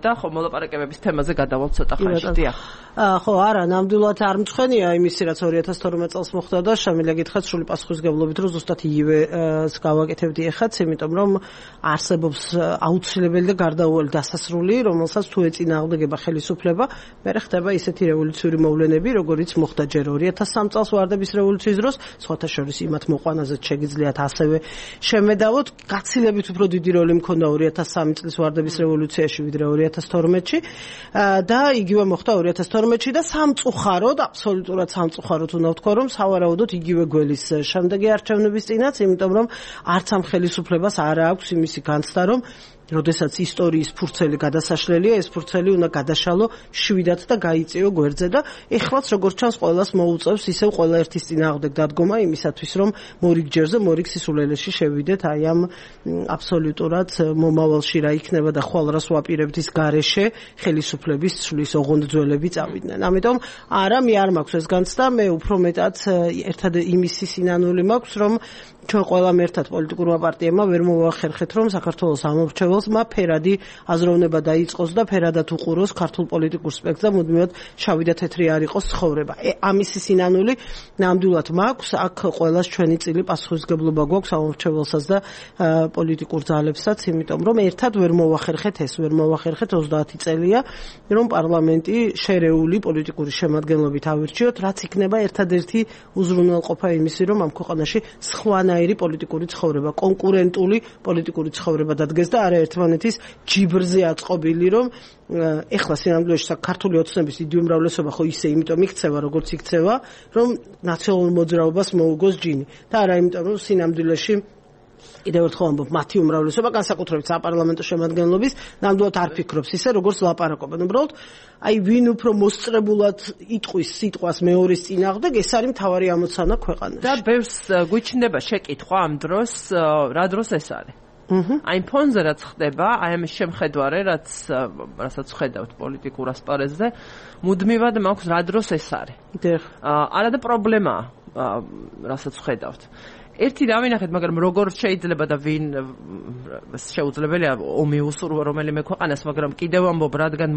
და ხო მოლაპარაკებების თემაზე გადავალთ ცოტა ხანში. დიახ. ხო, არა, ნამდვილად არ მწვენია იმისი, რაც ორი ათას თორმეტ წელს მოხდა და შემიძლია გითხრათ სრული პასუხისგებლობით, რომ ზუსტად იგივეს გავაკეთებდი ეხაც, იმიტომ რომ არსებობს აუცილებელი და გარდაუვალი დასასრული, რომელსაც თუ ეწინააღმდეგება ხელისუფლება, მერე ხდება ისეთი რევოლუციური მოვლენები, როგორიც მოხდა ჯერ ორი ათას სამ წელს ვარდების რევოლუციის დროს, სხვათა შორის იმათ მოყვანაზეც შეგიძლიათ ასევე შემედავოთ, გაცილებით უფრო დიდი როლი მქონდა ორი ათას სამი წლის ვარდების რევოლუციაში ვიდრე ორი ათას თორმეტში და იგივე მოხდა ორი ათას თორმეტში და სამწუხაროდ, აბსოლუტურად სამწუხაროდ უნდა ვთქვა, რომ სავარაუდოდ იგივე გველის შემდეგი არჩევნების წინაც, იმიტომ რომ არც ამ ხელისუფლებას არ აქვს იმისი განცდა, რომ როდესაც ისტორიის ფურცელი გადასაშლელია, ეს ფურცელი უნდა გადაშალო შვიდად და გაიწიო გვერდზე და ეხლაც როგორც ჩანს ყველას მოუწევს ისევ ყველა ერთის წინააღმდეგ დადგომა იმისათვის, რომ მორიგ ჯერზე, მორიგ სისულელეში შევიდეთ აი ამ აბსოლუტურად მომავალში რა იქნება და ხვალ რას ვაპირებთ ის გარეშე ხელისუფლების ცვლის ოღონდ ძველები წავიდნენ. ამიტომ არა, მე არ მაქვს ეს განცდა, მე უფრო მეტად ერთად იმისი სინანული მაქვს, რომ ჩვენ ყველამ ერთად პოლიტიკურმა პარტიებმა ვერ მოვახერხეთ, რომ საქართველოს ამორჩეულ მომავალმა ფერადი აზროვნება დაიწყოს და ფერადად უყუროს ქართულ პოლიტიკურ სპექტრს და მუდმივად შავი და თეთრი არ იყოს ცხოვრება. ამისი სინანული ნამდვილად მაქვს, აქ ყველას ჩვენი წილი პასუხისმგებლობა გვაქვს ამორჩეველსაც და პოლიტიკურ ძალებსაც, იმიტომ რომ ერთად ვერ მოვახერხეთ ეს, ვერ მოვახერხეთ ოცდაათი წელია, რომ პარლამენტი შერეული პოლიტიკური შემადგენლობით ავირჩიოთ, რაც იქნება ერთადერთი უზრუნველყოფა იმისი, რომ ამ ქვეყანაში სხვანაირი პოლიტიკური ცხოვრება, კონკურენტული პოლიტიკური ცხოვრება დადგეს და არა ერთმანეთის ჯიბრზე აწყობილი, რომ ეხლა სინამდვილეში ქართული ოცნების დიდი უმრავლესობა ხო ისე იმიტომ იქცევა, როგორც იქცევა, რომ ნაციონალურ მოძრაობას მოუგოს ჯინი და არა იმიტომ, რომ სინამდვილეში კიდევ ერთხელ ამბობ, მათი უმრავლესობა განსაკუთრებით საპარლამენტო შემადგენლობის ნამდვილად არ ფიქრობს ისე, როგორც ლაპარაკობენ. უბრალოდ აი ვინ უფრო მოსწრებულად იტყვის სიტყვას მეორის წინააღმდეგ, ეს არის მთავარი ამოცანა ქვეყანაში. და ბევრს გვიჩნდება შეკითხვა ამ დროს, რა დროს ეს არის. აი ფონზე რაც ხდება, აი ამის შემხედვარე, რაც რასაც ხედავთ პოლიტიკურ ასპარეზზე, მუდმივად მაქვს რა დროს ეს არის. არა და პრობლემაა, რასაც ხედავთ. ერთი დავინახეთ, მაგრამ როგორ შეიძლება და ვინ შეუძლებელია ომი უსურვა რომელიმე ქვეყანას, მაგრამ კიდევ ამბობ, რადგან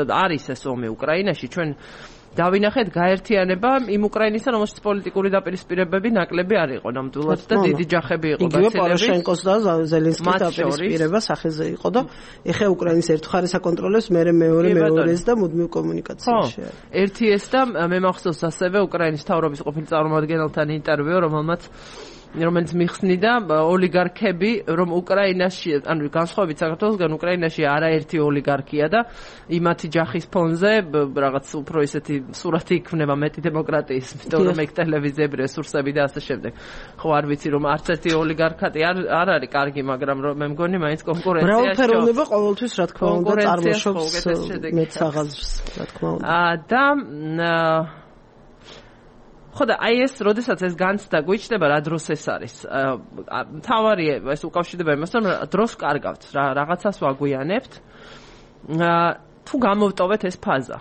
არის ეს ომი უკრაინაში, ჩვენ დავინახეთ გაერთიანება იმ უკრაინისთან, რომელშიც პოლიტიკური დაპირისპირებები ნაკლები არ იყო ნამდვილად და დიდი ჯახები იყო გაცილებით. იგივე პოროშენკოს და ზელენსკის დაპირისპირება სახეზე იყო და ეხა უკრაინის ერთ მხარეს აკონტროლებს, მერე მეორე მეორეს და მუდმივ კომუნიკაციაში არის. ერთი ეს და მე მახსოვს ასევე უკრაინის მთავრობის ყოფილი წარმომადგენელთან ინტერვიუ, რომელმაც რომელიც მიხსნიდა ოლიგარქები, რომ უკრაინაში, ანუ განსხვავებით საქართველოსგან, უკრაინაში არაერთი ოლიგარქია და იმათი ჯახის ფონზე რაღაც უფრო ისეთი სურათი იქნება მეტი დემოკრატიის, იმიტომ რომ ეგ ტელევიზიები, რესურსები და ასე შემდეგ. ხო, არ ვიცი რომ არც ერთი ოლიგარქატი არ არ არის კარგი, მაგრამ მე მგონი მაინც კონკურენციაში. მრავალფეროვნება ყოველთვის რა თქმა უნდა წარმოშობს მეც აღაზრს, რა თქმა უნდა. და ხო და აი ეს, როდესაც ეს განცდა გვიჩნდება, რა დროს ეს არის. მთავარი ეს უკავშირდება იმასთან, რომ დროს კარგავთ, რა რაღაცას ვაგვიანებთ. თუ გამოვტოვეთ ეს ფაზა.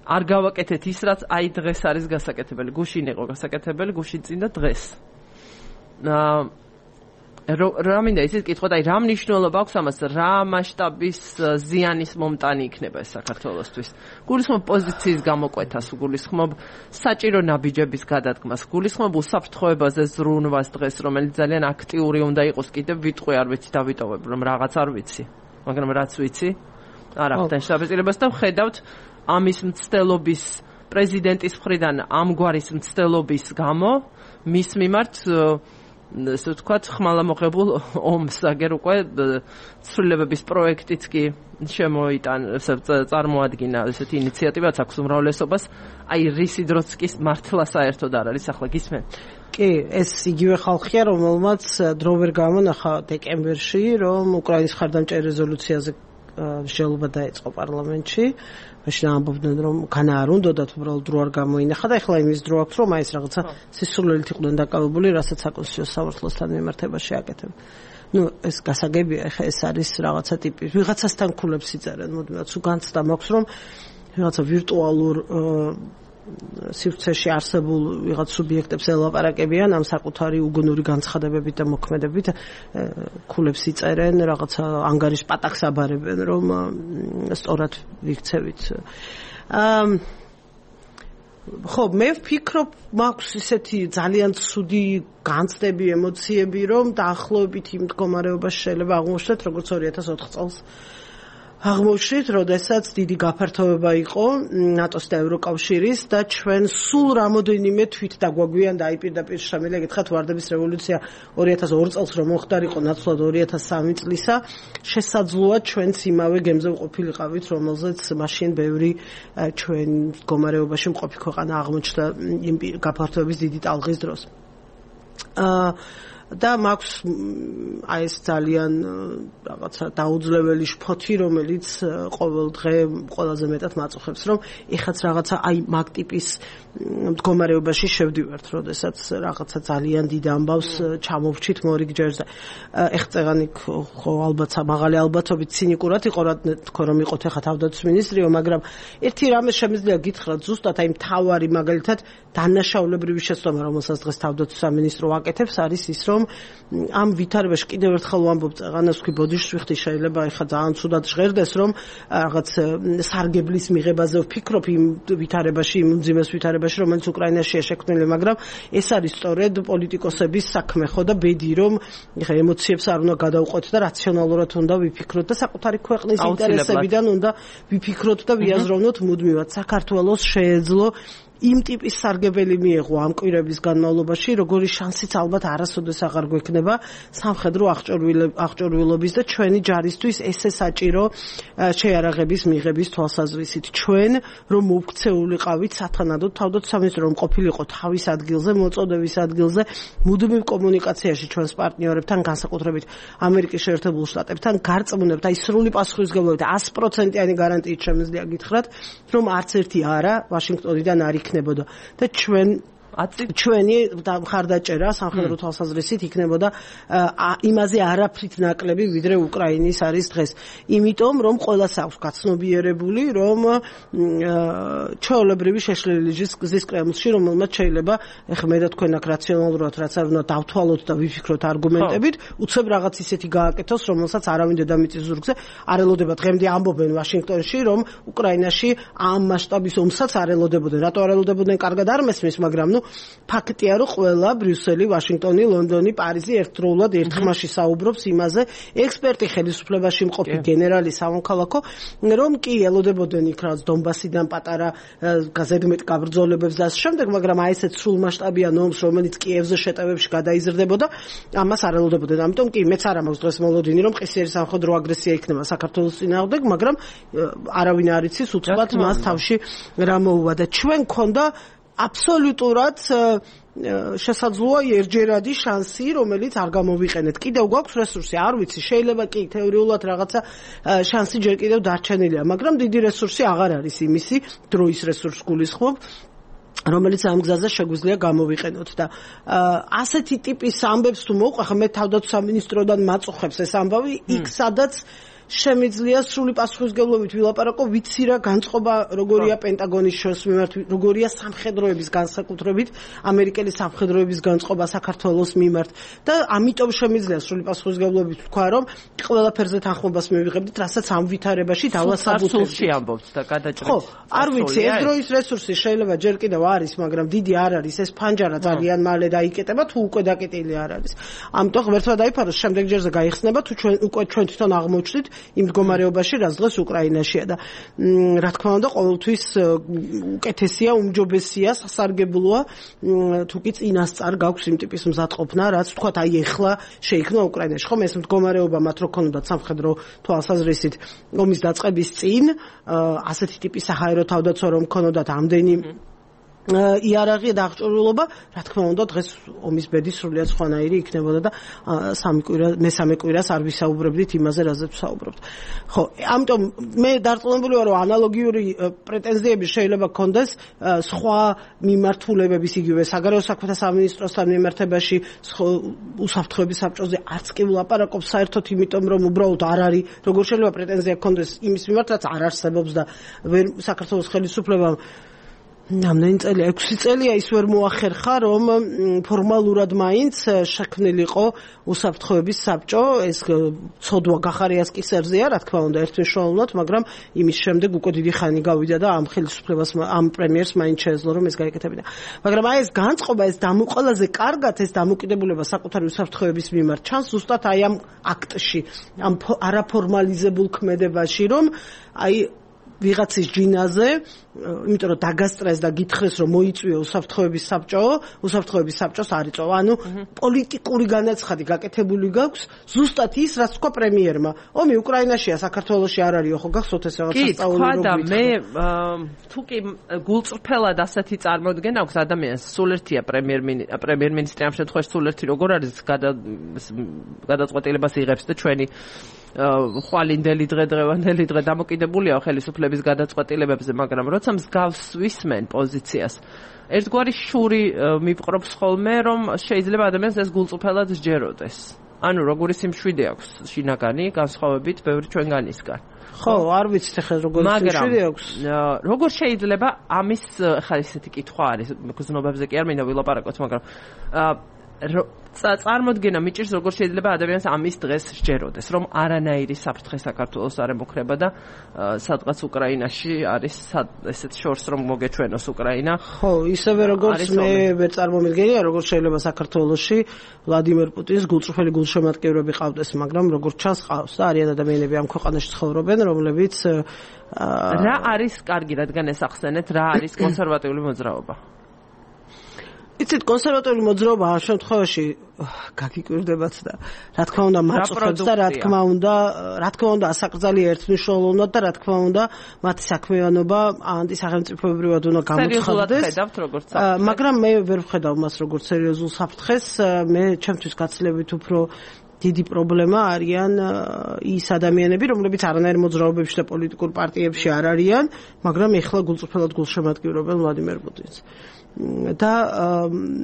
არ გავაკეთეთ ის, რაც აი დღეს არის გასაკეთებელი. გუშინ იყო გასაკეთებელი, გუშინ წინ და დღეს. რა მინდა ისიც კითხოთ, აი რა მნიშვნელობა აქვს ამას, რა მასშტაბის ზიანის მომტანი იქნება ეს საქართველოსთვის. გულისხმობ პოზიციის გამოკვეთას, გულისხმობ საჭირო ნაბიჯების გადადგმას, გულისხმობ უსაფრთხოებაზე ზრუნვას დღეს, რომელიც ძალიან აქტიური უნდა იყოს, კიდევ ვიტყვი არ ვიცი დავიტოვებ, რომ რაღაც არ ვიცი, მაგრამ რაც ვიცი, არ ახდენ შეტაბილებას და ვხედავთ ამის მცდელობის პრეზიდენტის მხრიდან ამგვარის მცდელობის გამო მის მიმართ ესე ვთქვათ, ხმალამოღებულ ომს, აგერ უკვე ცვლილებების პროექტიც კი შემოიტან, წარმოადგინა ესეთი ინიციატივაც აქვს უმრავლესობას, აი რისი დროც კი მართლა საერთოდ არ არის, ახლა გისმენ? კი, ეს იგივე ხალხია, რომელმაც დრო ვერ გამონახა დეკემბერში, რომ უკრაინის მხარდამჭერ რეზოლუციაზე მსჯელობა დაეწყო პარლამენტში. მაშინ ამბობდნენ, რომ განა არ უნდათ, უბრალოდ დრო არ გამოინახა და ეხლა იმის დრო აქვს, რომ აი ეს რაღაცა სისულელით იყვნენ დაკავებული, რასაც საკონსტიტუციო სამართლოსთან მიმართებაში აკეთებენ. ნუ ეს გასაგებია, ეხლა ეს არის რაღაცა ტიპი. ვიღაცასთან ქულებს იწერენ, მოდიოთ, სულ განცდა მაქვს, რომ რაღაცა ვირტუალურ სივრცეში არსებულ ვიღაც სუბიექტებს ელაპარაკებიან ამ საკუთარი უგუნური განცხადებებით და მოქმედებით, ქულებს იწერენ, რაღაცა ანგარიშ პატახს აბარებენ, რომ სწორად ვიქცევით. ხო, მე ვფიქრობ, მაქვს ისეთი ძალიან ცუდი განცდები, ემოციები, რომ დაახლოებით იმ მდგომარეობაში შეიძლება აღმოჩნდეთ, როგორც ორი ათას ოთხ წელს აღმოჩნდით, როდესაც დიდი გაფართოება იყო ნატოს და ევროკავშირის და ჩვენ სულ რამოდენიმე თვით დაგვაგვიან და აი პირდაპირ შემიძლია გითხრათ, ვარდების რევოლუცია ორი ათას ორ წელს რომ მოხდარიყო, ნაცვლად ორი ათას სამი წლისა, შესაძლოა ჩვენც იმავე გემზე ვყოფილიყავით, რომელზეც მაშინ ბევრი ჩვენ მდგომარეობაში მყოფი ქვეყანა აღმოჩნდა იმ გაფართოების დიდი ტალღის დროს. აა და მაქვს აი ეს ძალიან რაღაცა დაუძლეველი შფოთი, რომელიც ყოველ დღე ყველაზე მეტად მაწუხებს, რომ ეხაც რაღაცა აი მაგ ტიპის მდგომარეობაში შევდივართ, როდესაც რაღაცა ძალიან დიდ ამბავს ჩამოვჩით მორიგ ჯერზე. ეხწეღანი ხო ალბათ მაღალი ალბათობით ცინიკურად იყო რა თქო რომ იყოთ ეხა თავდაცვის მინისტრიო, მაგრამ ერთი რამე შემიძლია გითხრათ ზუსტად აი მთავარი მაგალითად დანაშაულებრივი შეცდომა, რომელსაც დღეს თავდაცვის სამინისტრო აკეთებს, არის ის, რომ რომ ამ ვითარებაში კიდევ ერთხელ ვამბობ, წეღანას ვქი ბოდიშს ვიხდი, შეიძლება ეხლა ძალიან ცუდად ჟღერდეს, რომ რაღაც სარგებლის მიღებაზე ვფიქრობ იმ ვითარებაში, იმ უძიმეს ვითარებაში, რომელიც უკრაინაშია შექმნილი, მაგრამ ეს არის სწორედ პოლიტიკოსების საქმე, ხო და ბედი, რომ ეხლა ემოციებს არ უნდა გადავყვეთ და რაციონალურად უნდა ვიფიქროთ და საკუთარი ქვეყნის ინტერესებიდან უნდა ვიფიქროთ და ვიაზროვნოთ მუდმივად. საქართველოს შეეძლო იმ ტიპის სარგებელი მიეღო ამ კვირების განმავლობაში, როგორი შანსიც ალბათ არასოდეს აღარ გვექნება სამხედრო აღჭურვილობის და ჩვენი ჯარისთვის ესე საჭირო შეიარაღების მიღების თვალსაზრისით. ჩვენ რომ მოვქცეულიყავით სათანადოდ თავდაცვის რომ ყოფილიყო თავის ადგილზე, მოწოდების ადგილზე, მუდმივ კომუნიკაციაში ჩვენს პარტნიორებთან, განსაკუთრებით ამერიკის შეერთებულ შტატებთან, გარწმუნებთ, აი სრული პასუხისმგებლობით one hundred percent-იანი გარანტიით შემიძლია გითხრათ, რომ არც ერთი არა ვაშინგტონიდან არ იქნებოდა და ჩვენ ჩვენი მხარდაჭერა სამხედრო თვალსაზრისით იქნებოდა იმაზე არაფრით ნაკლები ვიდრე უკრაინის არის დღეს. იმიტომ რომ ყველას აქვს გაცნობიერებული, რომ ჩვეულებრივი შეშლილი გზის კრემლში, რომელმაც შეიძლება ეხლა მე და თქვენ აქ რაციონალურად რაც არ უნდა დავთვალოთ და ვიფიქროთ არგუმენტებით, უცებ რაღაც ისეთი გააკეთოს, რომელსაც არავინ დედამიწის ზურგზე არ ელოდება. დღემდე ამბობენ ვაშინგტონში, რომ უკრაინაში ამ მასშტაბის ომსაც არ ელოდებოდნენ. რატო არ ელოდებოდნენ? კარგად არ მესმის, მაგრამ ნუ ფაქტია, რომ ყველა ბრიუსელი, ვაშინგტონი, ლონდონი, პარიზი ერთდროულად ერთხმაში საუბრობს იმაზე, ექსპერტი ხელისუფლებაში მყოფი გენერალი სამოქალაქო, რომ კი ელოდებოდნენ იქ რაც დონბასიდან პატარა ზედმეტ გაბრძოლებებს და ამ შემდეგ, მაგრამ აი ესეთ სრულმასშტაბიან ომს, რომელიც კიევზე შეტევებში გადაიზრდებოდა, ამას არ ელოდებოდნენ. ამიტომ კი მეც არ მაქვს დღეს მოლოდინი, რომ ყისერი სამხედრო აგრესია იქნება საქართველოს წინააღმდეგ, მაგრამ არავინ არ იცის უცბად მას თავში რა მოუვა და ჩვენ გქონდა აბსოლუტურად შესაძლოა ერთჯერადი შანსი, რომელიც არ გამოვიყენეთ. კიდევ გვაქვს რესურსი, არ ვიცი, შეიძლება კი თეორიულად რაღაცა შანსი ჯერ კიდევ დარჩენილია, მაგრამ დიდი რესურსი აღარ არის იმისი, დროის რესურს გულისხმობ, რომელიც ამ გზაზე შეგვიძლია გამოვიყენოთ და ასეთი ტიპის ამბებს თუ მოვყვე, ხა მე თავდაცვის სამინისტროდან მაწუხებს ეს ამბავი, იქ სადაც შემიძლია სრული პასუხისმგებლობით ვილაპარაკო, ვიცი რა განწყობა როგორია პენტაგონის შორს მიმართ, როგორია სამხედროების განსაკუთრებით ამერიკელი სამხედროების განწყობა საქართველოს მიმართ და ამიტომ შემიძლია სრული პასუხისმგებლობით ვთქვა, რომ ყველაფერზე თანხმობას მივიღებდით, რასაც ამ ვითარებაში დავასაბუთებთ. ამბობთ და გადაჭრით. ხო, არ ვიცი, ეს დროის რესურსი შეიძლება ჯერ კიდევ არის, მაგრამ დიდი არ არის, ეს ფანჯარა ძალიან მალე დაიკეტება, თუ უკვე დაკეტილი არ არის. ამიტომ ღმერთმა დაიფაროს, შემდეგ ჯერზე გაიხსნება, თუ ჩვენ უკვე ჩვენ თვითონ აღმოჩნდით იმ მდგომარეობაში, რაც დღეს უკრაინაშია და რა თქმა უნდა, ყოველთვის უკეთესია, უმჯობესია, სასარგებლოა, თუ კი წინასწარ გაქვს იმ ტიპის მზადყოფნა, რაც თქვათ, აი ეხლა შეიქმნა უკრაინაში. ხომ ეს მდგომარეობა მათ რო ქონდათ სამხედრო თვალსაზრისით ომის დაწყების წინ, ასეთი ტიპის საჰაერო თავდაცვა რომ ქონოდათ ამდენი იარაღი და აღჭურვილობა, რა თქმა უნდა, დღეს ომის ბედი სრულიად სხვანაირი იქნებოდა და სამი კვირა, მესამე კვირას არ ვისაუბრებდით იმაზე, რაზეც ვსაუბრობთ. ხო, ამიტომ მე დარწმუნებული ვარ, რომ ანალოგიური პრეტენზიები შეიძლება გქონდეს სხვა მიმართულებების, იგივე საგარეო საქმეთა სამინისტროსთან მიმართებაში, უსაფრთხოების საბჭოზე არც კი ვლაპარაკობ საერთოდ, იმიტომ რომ უბრალოდ არ არის, როგორ შეიძლება პრეტენზია გქონდეს იმის მიმართ, რაც არ არსებობს და ვერ საქართველოს ხელისუფლებამ ამდენი წელი, ექვსი წელია ის ვერ მოახერხა, რომ ფორმალურად მაინც შექმნილიყო უსაფრთხოების საბჭო, ეს ცოდვა გახარიას კისერზეა, რა თქმა უნდა, ერთმნიშვნელოვნად, მაგრამ იმის შემდეგ უკვე დიდი ხანი გავიდა და ამ ხელისუფლებას, ამ პრემიერს მაინც შეეძლო, რომ ეს გაეკეთებინა. მაგრამ აი ეს განწყობა, ეს ყველაზე კარგად ეს დამოკიდებულება საკუთარი უსაფრთხოების მიმართ ჩანს ზუსტად აი ამ აქტში, ამ არაფორმალიზებულ ქმედებაში, რომ აი ვიღაცის ჯინაზე, იმიტომ რომ დაგასტრეს და გითხრეს, რომ მოიწვიო უსაფრთხოების საბჭო, უსაფრთხოების საბჭოს არ იწვა. ანუ პოლიტიკური განაცხადი გაკეთებული გაქვს, ზუსტად ის, რაც თქვა პრემიერმა. ომი უკრაინაშია, საქართველოში არ არისო, ხო გახსოვთ ეს რაღაც სასწაული რო გითხრა. კი, მე თუ კი გულწრფელად ასეთი წარმოდგენა აქვს ადამიანს, სულ ერთია პრემიერ-მინისტრი ამ შემთხვევაში სულ ერთი როგორ არის გადაწყვეტილებას იღებს და ჩვენი ხვალინდელი დღე დღევანდელი დღე დამოკიდებულია ხელისუფლების გადაწყვეტილებებზე, მაგრამ როცა მსგავს ვისმენ პოზიციას, ერთგვარი შური მიპყრობს ხოლმე, რომ შეიძლება ადამიანს ეს გულწრფელად სჯეროდეს. ანუ როგორი სიმშვიდე აქვს შინაგანი, განსხვავებით ბევრი ჩვენგანისგან. ხო, არ ვიცით ახლა როგორი სიმშვიდე აქვს. როგორ შეიძლება ამის ხა ისეთი კითხვა არის, გზნობებზე კი არ მინდა ვილაპარაკოთ, მაგრამ წარმოდგენა მიჭირს როგორ შეიძლება ადამიანს ამის დღეს სჯეროდეს რომ არანაირი საფრთხე საქართველოს არ ემუქრება და სადღაც უკრაინაში არის ესეთ შორს რომ მოგეჩვენოს უკრაინა ხო ისევე როგორც მე ვერ წარმომიდგენია როგორ შეიძლება საქართველოში ვლადიმერ პუტინს გულწრფელი გულშემატკივრები ყავდეს მაგრამ როგორც ჩანს ყავს და არიან ადამიანები ამ ქვეყანაში ცხოვრობენ რომლებიც რა არის კარგი რადგან ეს ახსენეთ რა არის კონსერვატიული მოძრაობა იცით კონსერვატიული მოძრაობა ამ შემთხვევაში გაგიკვირდებათ და რა თქმა უნდა მაწუხებს და რა თქმა უნდა რა თქმა უნდა ასაკრძალი ერთმნიშვნელოვნად და რა თქმა უნდა მათი საქმიანობა ანტისახელმწიფოებრივად უნდა გამოცხადდეს მაგრამ მე ვერ ვხედავ მას როგორც სერიოზულ საფრთხეს მე ჩემთვის გაცილებით უფრო დიდი პრობლემა არიან ის ადამიანები რომლებიც არანაირ მოძრაობებში და პოლიტიკურ პარტიებში არ არიან მაგრამ ეხლა გულწრფელად გულშემატკივრობენ ვლადიმერ პუტინს და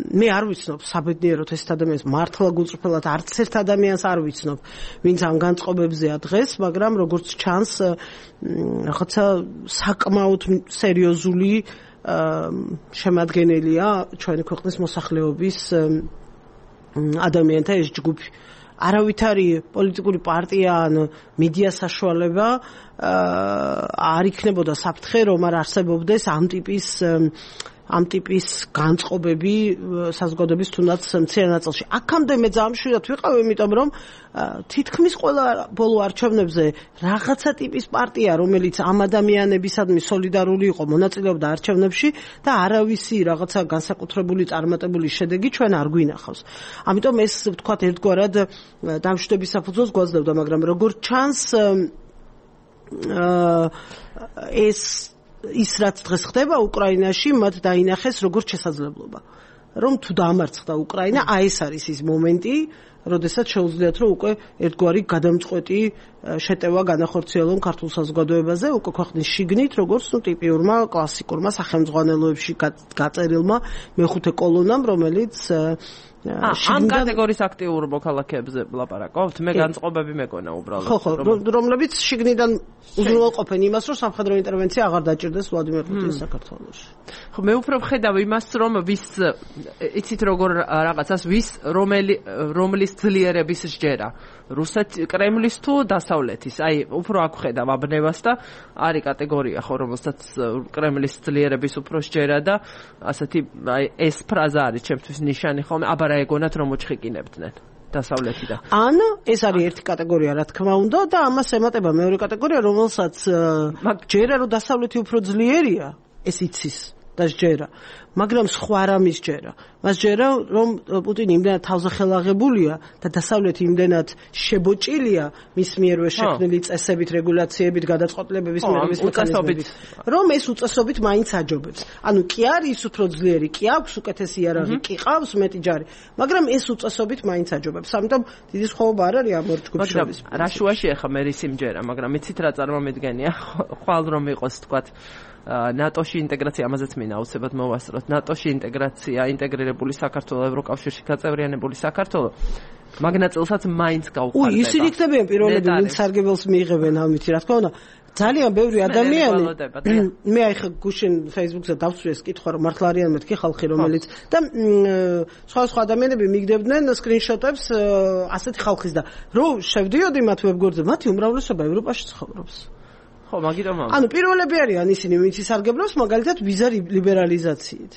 მე არ ვიცნობ საბედნიეროდ ეს ადამიანს მართლა გულწრფელად არც ერთ ადამიანს არ ვიცნობ ვინც ამ განწყობებზეა დღეს მაგრამ როგორც ჩანს რაღაცა საკმაოდ სერიოზული შემადგენელია ჩვენი ქვეყნის მოსახლეობის ადამიანთა ეს ჯგუფი არავითარი პოლიტიკური პარტია ან მედია საშუალება არ იქნებოდა საფრთხე რომ არ არსებობდეს ამ ტიპის ამ ტიპის განწყობები საზოგადოების თუნდაც მცირე ნაწილში. აქამდე მე ძალიან მშვიდად ვიყავ, იმიტომ რომ თითქმის ყველა ბოლო არჩევნებზე რაღაცა ტიპის პარტია, რომელიც ამ ადამიანებისადმი სოლიდარული იყო, მონაწილეობდა არჩევნებში და არავისი რაღაცა განსაკუთრებული წარმატებული შედეგი ჩვენ არ გვინახავს. ამიტომ ეს ვთქვათ ერთგვარად დამშვიდობის საფუძველს გვაძლევდა, მაგრამ როგორც ჩანს ეს ის რაც დღეს ხდება უკრაინაში მათ დაინახეს როგორც შესაძლებლობა რომ თუ დაამარცხდა უკრაინა აი ეს არის ის მომენტი როდესაც შეუძლიათ რომ უკვე ერთგვარი გადამწყვეტი შეტევა განახორციელონ ქართულ საზოგადოებაზე უკვე ქვეყნის შიგნით როგორც ნუ ტიპიურმა კლასიკურმა სახელმძღვანელოებში გაწერილმა მეხუთე კოლონამ რომელიც ამ კატეგორიის აქტიურ მოქალაქეებზე ვლაპარაკობთ მე განწყობები მეკონა უბრალოდ ხო ხო რომლებიც შიგნიდან უზრუნველყოფენ იმას რომ სამხედრო ინტერვენცია აღარ დაჭირდეს ვლადიმერ პუტინს საქართველოში ხო მე უფრო ვხედავ იმას რომ ვის იცით როგორ რაღაცას ვის რომელი რომლის ძლიერების სჯერა რუსეთ კრემლის თუ დასავლეთის აი უფრო აქ ვხედავ აბნევას და არის კატეგორია ხო რომელსაც კრემლის ძლიერების უფრო სჯერა და ასეთი აი ეს ფრაზა არის ჩემთვის ნიშანი ხოლმე აბა რა ეგონათ რომ მოჩხიკინებდნენ დასავლეთიდან. ან ეს არის ერთი კატეგორია რა თქმა უნდა და ამას ემატება მეორე კატეგორია რომელსაც ჯერა რომ დასავლეთი უფრო ძლიერია ეს იცის და ჯერა მაგრამ სხვა რამის ჯერა მას ჯერა რომ პუტინი იმდენად თავზე ხელაღებულია და დასავლეთი იმდენად შებოჭილია მის მიერვე შექმნილი წესებით რეგულაციებით გადაწყვეტილებების მიღების მექანიზმებით რომ ეს უწესობით მაინც აჯობებს ანუ კი არის უფრო ძლიერი კი აქვს უკეთესი იარაღი კი ყავს მეტი ჯარი მაგრამ ეს უწესობით მაინც აჯობებს ამიტომ დიდი სხვაობა არ არის ამ ორ ჯგუფს შორის რა შუაში ახლა მე რის იმჯერა მაგრამ იცით რა წარმომედგენია ხვალ რომ იყოს თქვათ ნატოში ინტეგრაცია ამაზეც მინდა აუცილებლად მოვასწროთ ნატოში ინტეგრაცია ინტეგრირებული საქართველოს ევროკავშირში გაწევრიანებული საქართველოს მაგნაწილსაც მაინც გაუხარდება. უი ისინი იქნებიან პირველები ვინც სარგებელს მიიღებენ ამით რა თქმა უნდა ძალიან ბევრი ადამიანი მე აი ხა გუშინ Facebook-ზე დავწვი ეს კითხვა რომ მართლა არიან მეთქი ხალხი რომელიც და სხვა სხვა ადამიანები მიგდებდნენ სკრინშოტებს ასეთი ხალხის და რომ შევდიოდი მათ ვებგვერდზე მათი უმრავლესობა ევროპაში ცხოვრობს ხო მაგიტომ ანუ პირველები არიან ისინი ვინც ისარგებლობს მაგალითად ვიზა ლიბერალიზაციით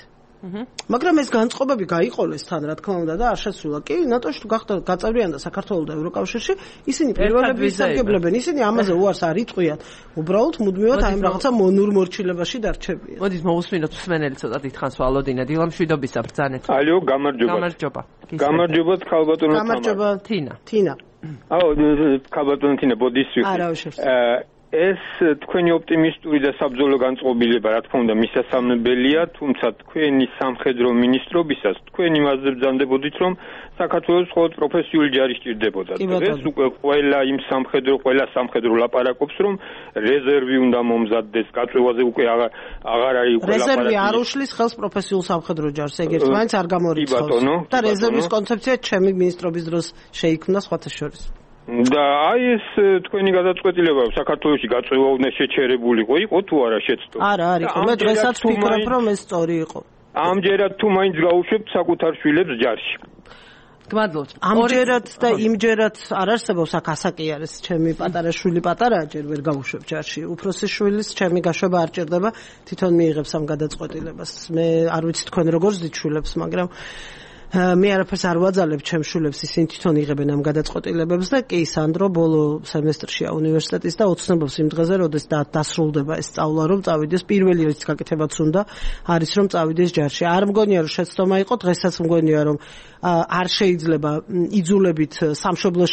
მაგრამ ეს განწყობები გაიყოლეს თან რა თქმა უნდა და არ შეცვლილა კი ნატოში თუ გახდა გაწევრიანდა საქართველოს და ევროკავშირში ისინი პირველები ისარგებლებენ ისინი ამაზე უარს არ იტყვიან უბრალოდ მუდმივად აი რაღაცა მონურ მორჩილებაში დარჩებიან მოდით მოусმინოთ მსმენელი ცოტა დიდხანს ვალოდინა დილამშვიდობისა ბრძანეთ ალო გამარჯობა გამარჯობა გამარჯობა ხალბატონო გამარჯობა თინა თინა აუ ხალბატონო თინა ბოდიში არა ეს თქვენი ოპტიმისტური და საბრძოლო განწყობილება რა თქმა უნდა მისასალმებელია, თუმცა თქვენი სამხედრო მინისტრობისას თქვენ იმაზე ბრძანდებოდით, რომ საქართველოს მხოლოდ პროფესიული ჯარი სჭირდებოდა. ეს უკვე ყველა იმ სამხედრო, ყველა სამხედრო ლაპარაკობს, რომ რეზერვი უნდა მომზადდეს, გაწევაზე უკვე აღარ აღარ არის უკვე ლაპარაკი. რეზერვი არ უშლის ხელს პროფესიულ სამხედრო ჯარს, ეგ ერთმანეთს არ გამორიცხავს. და რეზერვის კონცეფცია ჩემი მინისტრობის დროს შეიქმნა სხვათა შორის. და აი ეს თქვენი გადაწყვეტილება საქართველოში გაწევა უნდა შეჩერებულიყო, იყო თუ არა შეცდო? არა, არ იყო. მე დღესაც ვფიქრობ, რომ ეს სწორი იყო. ამჯერად თუ მაინც გაუშვებთ საკუთარ შვილებს ჯარში. გმადლობთ. ამჯერად და იმჯერად არ არსებობს აქ ასაკი არის ჩემი პატარა შვილი პატარაა ჯერ ვერ გავუშვებ ჯარში. უფროსი შვილის ჩემი გაშვება არ ჭირდება, თვითონ მიიღებს ამ გადაწყვეტილებას. მე არ ვიცი თქვენ როგორ ზით შვილებს, მაგრამ მე არაფერს არ ვაძალებ ჩემ შვილებს, ისინი თვითონ იღებენ ამ გადაწყვეტილებებს და კი სანდრო ბოლო სემესტრშია უნივერსიტეტის და ოცნებობს იმ დღეზე, როდეს დასრულდება ეს სწავლა, რომ წავიდეს პირველი რიცხვი გაკეთებაც უნდა არის რომ წავიდეს ჯარში. არ მგონია რომ შეცდომა იყო, დღესაც მგონია რომ არ შეიძლება იძულებით სამშობლო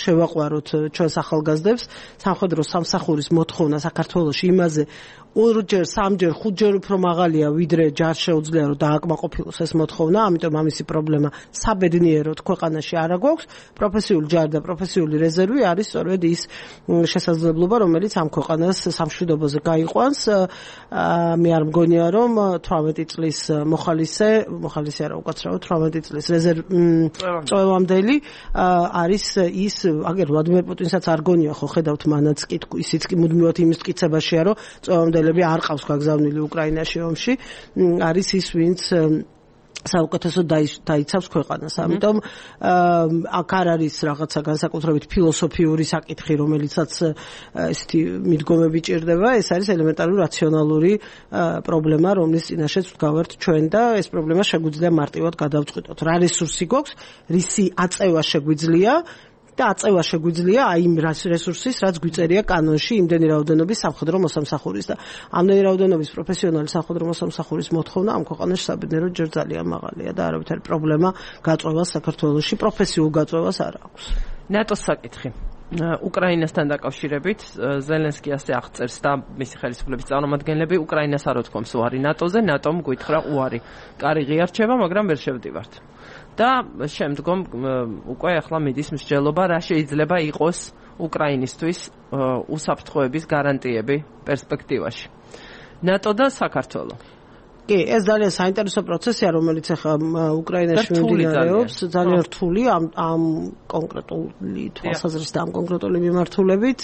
შევაყვაროთ ჩვენს ახალგაზრდებს. სამხედრო სამსახურის მოთხოვნა საქართველოში იმაზე ორჯერ, სამჯერ, ხუთჯერ უფრო მაღალია, ვიდრე ჯარ შეუძლია რომ დააკმაყოფილოს ეს მოთხოვნა, ამიტომ ამისი პრობლემა საბედნიეროდ ქვეყანაში არ აქვს. პროფესიული ჯარი და პროფესიული რეზერვი არის სწორედ ის შესაძლებლობა, რომელიც ამ ქვეყანას სამშვიდობოზე გაიყვანს. მე არ მგონია რომ თვრამეტი წლის მოხალისე, მოხალისე არა უკაცრავად თვრამეტი წლის წვევამდელი არის ის, აგერ ვლადიმერ პუტინსაც არ გონია ხო ხედავთ მანაც კი ისიც კი მუდმივად იმის მტკიცებაშია რომ წვევამდელები არ ყავს გაგზავნილი უკრაინაში ომში, არის ის ვინც საუკეთესო დაიცავს ქვეყანას. ამიტომ აქ არ არის რაღაცა განსაკუთრებით ფილოსოფიური საკითხი, რომელიცაც ესეთი მიდგომები ჭირდება, ეს არის ელემენტარული რაციონალური პრობლემა, რომლის წინაშეც ვდგავართ ჩვენ და ეს პრობლემა შეგვიძლია მარტივად გადავწყვიტოთ. რა რესურსი გვაქვს, რისი აწევა შეგვიძლია და აწევა შეგვიძლია აი იმ რესურსის, რაც გვიწერია კანონში იმდენი რაოდენობის სამხედრო მოსამსახურის და ამდენი რაოდენობის პროფესიონალი სამხედრო მოსამსახურის მოთხოვნა ამ ქვეყანაში საბედნიეროდ ჯერ ძალიან მაღალია და არავითარი პრობლემა გაწვევას საქართველოში პროფესიულ გაწვევას არ აქვს. ნატოს საკითხი. უკრაინასთან დაკავშირებით ზელენსკი ასე აღწერს და მისი ხელისუფლების წარმომადგენლები უკრაინას არ უთქვამს უარი ნატოზე, ნატომ გითხრა უარი. კარი ღიარჩება, მაგრამ ვერ შევდივართ. და შემდგომ უკვე ახლა მიდის მსჯელობა, რა შეიძლება იყოს უკრაინისთვის უსაფრთხოების გარანტიები პერსპექტივაში. ნატო და საქართველო. კი, ეს ძალიან საინტერესო პროცესია, რომელიც ახლა უკრაინაში მიმდინარეობს, ძალიან რთული ამ ამ კონკრეტული თვალსაზრისით, ამ კონკრეტული მიმართულებით.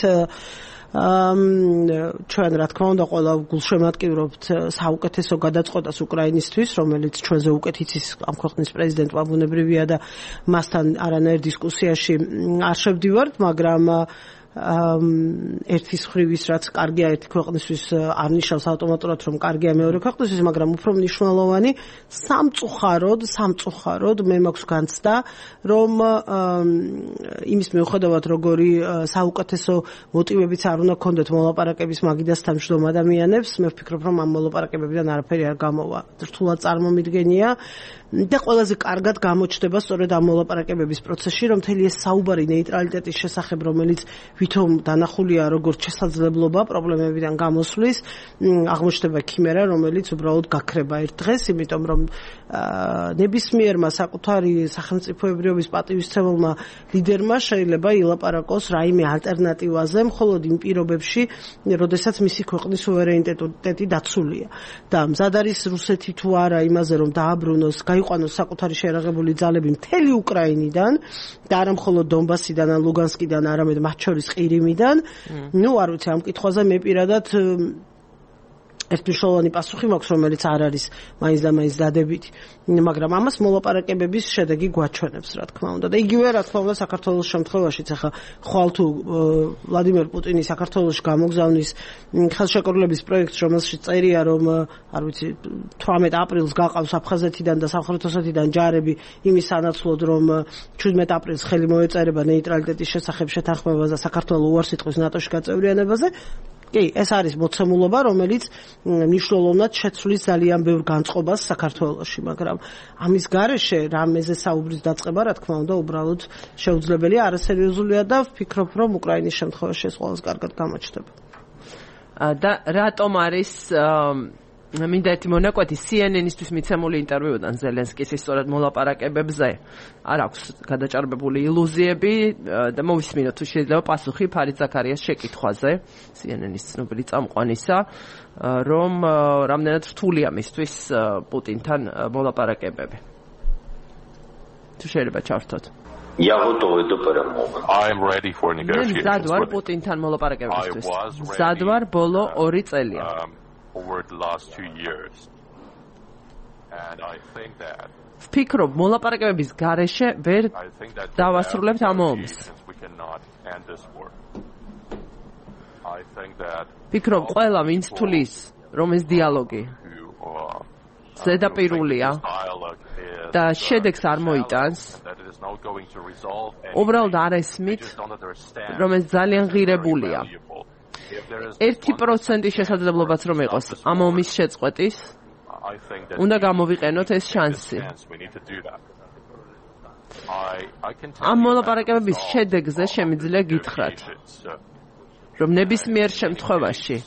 ჩვენ რა თქმა უნდა ყველა გულშემატკივრობთ საუკეთესო გადაწყვეტას უკრაინისთვის, რომელიც ჩვენზე უკეთ იცის ამ ქვეყნის პრეზიდენტმა ბუნებრივია და მასთან არანაირ დისკუსიაში არ შევდივართ, მაგრამ ერთის ხრივის რაც კარგია ერთი ქვეყნისთვის არ ნიშნავს ავტომატურად რომ კარგია მეორე ქვეყნისთვის, მაგრამ უფრო მნიშვნელოვანი სამწუხაროდ, სამწუხაროდ მე მაქვს განცდა, რომ იმის მიუხედავად როგორი საუკეთესო მოტივებიც არ უნდა ქონდეთ მოლაპარაკების მაგიდას თანამშრომ ადამიანებს, მე ვფიქრობ რომ ამ მოლაპარაკებებიდან არაფერი არ გამოვა. რთულად წარმომიდგენია და ყველაზე კარგად გამოჩნდება სწორედ ამ მოლაპარაკებების პროცესში, რომ მთელი ეს საუბარი ნეიტრალიტეტის შესახებ, რომელიც ვითომ დანახულია როგორც შესაძლებლობა პრობლემებიდან გამოსვლის, აღმოჩნდება ქიმერა, რომელიც უბრალოდ გაქრება ერთ დღეს, იმიტომ რომ ნებისმიერმა საკუთარი სახელმწიფოებრიობის პატივისცემელმა ლიდერმა შეიძლება ილაპარაკოს რაიმე ალტერნატივაზე, მხოლოდ იმ პირობებში, როდესაც მისი ქვეყნის სუვერენიტეტი დაცულია. და მზად არის რუსეთი თუ არა იმაზე, რომ დააბრუნოს, გაიყვანოს საკუთარი შეერაღებული ძალები მთელი უკრაინიდან და არა მხოლოდ დონბასიდან ან ლუგანსკიდან, არამედ მათ შორის ყირიმიდან. ნუ არ ვიცი ამ კითხვაზე მე პირადად ერთმნიშვნელოვანი პასუხი მაქვს, რომელიც არ არის მაინც და მაინც დადებითი, მაგრამ ამას მოლაპარაკებების შედეგი გვაჩვენებს, რა თქმა უნდა. და იგივე რა თქმა უნდა საქართველოს შემთხვევაშიც ახლა ხვალ თუ ვლადიმერ პუტინი საქართველოში გამოგზავნის ხელშეკრულების პროექტს, რომელშიც წერია, რომ არ ვიცი თვრამეტ აპრილს გაყავს აფხაზეთიდან და სამხრეთ ოსეთიდან ჯარები იმის სანაცვლოდ, რომ შვიდმეტ აპრილს ხელი მოეწერება ნეიტრალიტეტის შესახებ შეთანხმებას და საქართველოს უარს იტყვის ნატოში გაწევრიანებაზე. კი, ეს არის მოცემულობა, რომელიც მნიშვნელოვნად შეცვლის ძალიან ბევრ განწყობას საქართველოში, მაგრამ ამის გარეშე რამეზე საუბრის დაწყება, რა თქმა უნდა, უბრალოდ შეუძლებელია, არასერიოზულია და ვფიქრობ, რომ უკრაინის შემთხვევაში ეს ყველაზე კარგად გამოჩნდება. და რატომ არის მინდა ერთი მონაკვეთი C N N-ისთვის მიცემული ინტერვიუდან ზელენსკის სწორედ მოლაპარაკებებზე არ აქვს გადაჭარბებული ილუზიები და მოვისმინოთ თუ შეიძლება პასუხი ფარიდ ზაქარიას შეკითხვაზე C N N-ის ცნობილი წამყვანისა, რომ რამდენად რთულია მისთვის პუტინთან მოლაპარაკებები. თუ შეიძლება ჩავრთოთ. Я готовый до перемовин. I'm ready for negotiations. ზადვარ პუტინთან მოლაპარაკებებისთვის. ზადვარ ბოლო ორი წელია. over the last two years. And I think that ვფიქრობ, მოლაპარაკებების გარეშე ვერ დავასრულებთ ამ ომს. ვფიქრობ, ყველა ვინც თulis, რომ ეს დიალოგი ზედაპირულია და შედეგს არ მოიტანს, უბრალოდ არ ესმით, რომ ეს ძალიან ღირებულია. ერთი პროცენტი შესაძლებლობაც რომ იყოს ამ ომის შეწყვეტის, უნდა გამოვიყენოთ ეს შანსი. ამ მოლაპარაკებების შედეგზე შემიძლია გითხრათ, რომ ნებისმიერ შემთხვევაში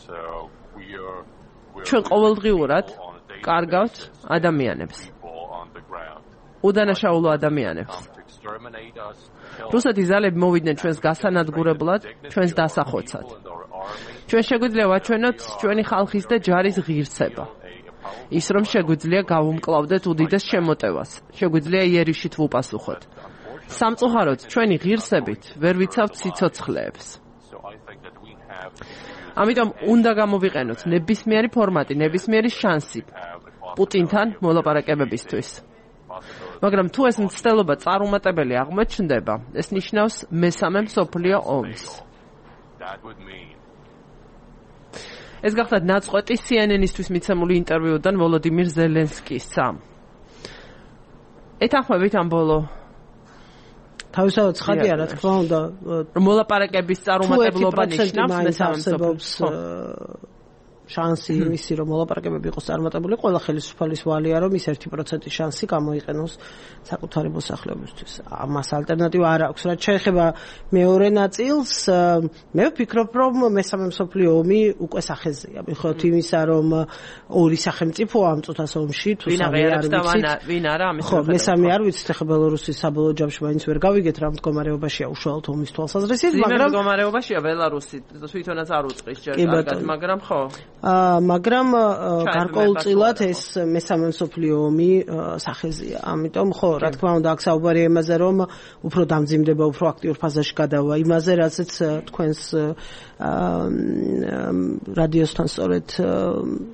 ჩვენ ყოველდღიურად კარგავთ ადამიანებს. უდანაშაულო ადამიანებს. რუსეთის ძალები მოვიდნენ ჩვენს გასანადგურებლად, ჩვენს დასახოცად. ჩვენ შეგვიძლია ვაჩვენოთ ჩვენი ხალხის და ჯარის ღირსება. ის რომ შეგვიძლია გავუმკლავდეთ უდიდეს შემოტევას, შეგვიძლია იერიშით ვუპასუხოთ. სამწუხაროდ ჩვენი ღირსებით ვერ ვიცავთ სიცოცხლეებს. ამიტომ უნდა გამოვიყენოთ ნებისმიერი ფორმატი, ნებისმიერი შანსი პუტინთან მოლაპარაკებებისთვის. მაგრამ თუ ეს მცდელობა წარუმატებელი აღმოჩნდება, ეს ნიშნავს მესამე მსოფლიო ომს. ეს გახლავთ ნაწყვეტი C N N-ისთვის მიცემული ინტერვიუდან ვოლოდიმირ ზელენსკისა. ეთანხმებით ამ ბოლო თავისთავად ცხადია, რა თქმა უნდა, მოლაპარაკების წარუმატებლობა ნიშნავს მესამე მსოფლიო შანსი იმისი, რომ მოლაპარაკებები იყოს წარმატებული, ყველა ხელისუფალის ვალია, რომ ის ერთი პროცენტი შანსი გამოიყენოს საკუთარი მოსახლეობისთვის. ამას ალტერნატივა არ აქვს. რაც შეეხება მეორე ნაწილს, მე ვფიქრობ, რომ მესამე მსოფლიო ომი უკვე სახეზეა. მიუხედავად იმისა, რომ ორი სახელმწიფოა ამ წუთას ომში, თუ სამი არ ვიცით, ვინ არა ამის ხო, მესამე არ ვიცით, ახლა ბელარუსის საბოლოო ჯამში მაინც ვერ გავიგეთ რა მდგომარეობაშია უშუალოდ ომის თვალსაზრისით, მაგრამ მდგომარეობაშია ბელარუსი, თვითონაც არ უწყის ჯერ კარგად, მაგრამ ხო აა მაგრამ გარკვეულწილად ეს მესამე მსოფლიო ომი სახეზეა. ამიტომ ხო, რა თქმა უნდა, აქ საუბარია იმაზე, რომ უფრო დამძიმდება, უფრო აქტიურ ფაზაში გადავა იმაზე, რასაც თქვენს რადიოსთან სწორედ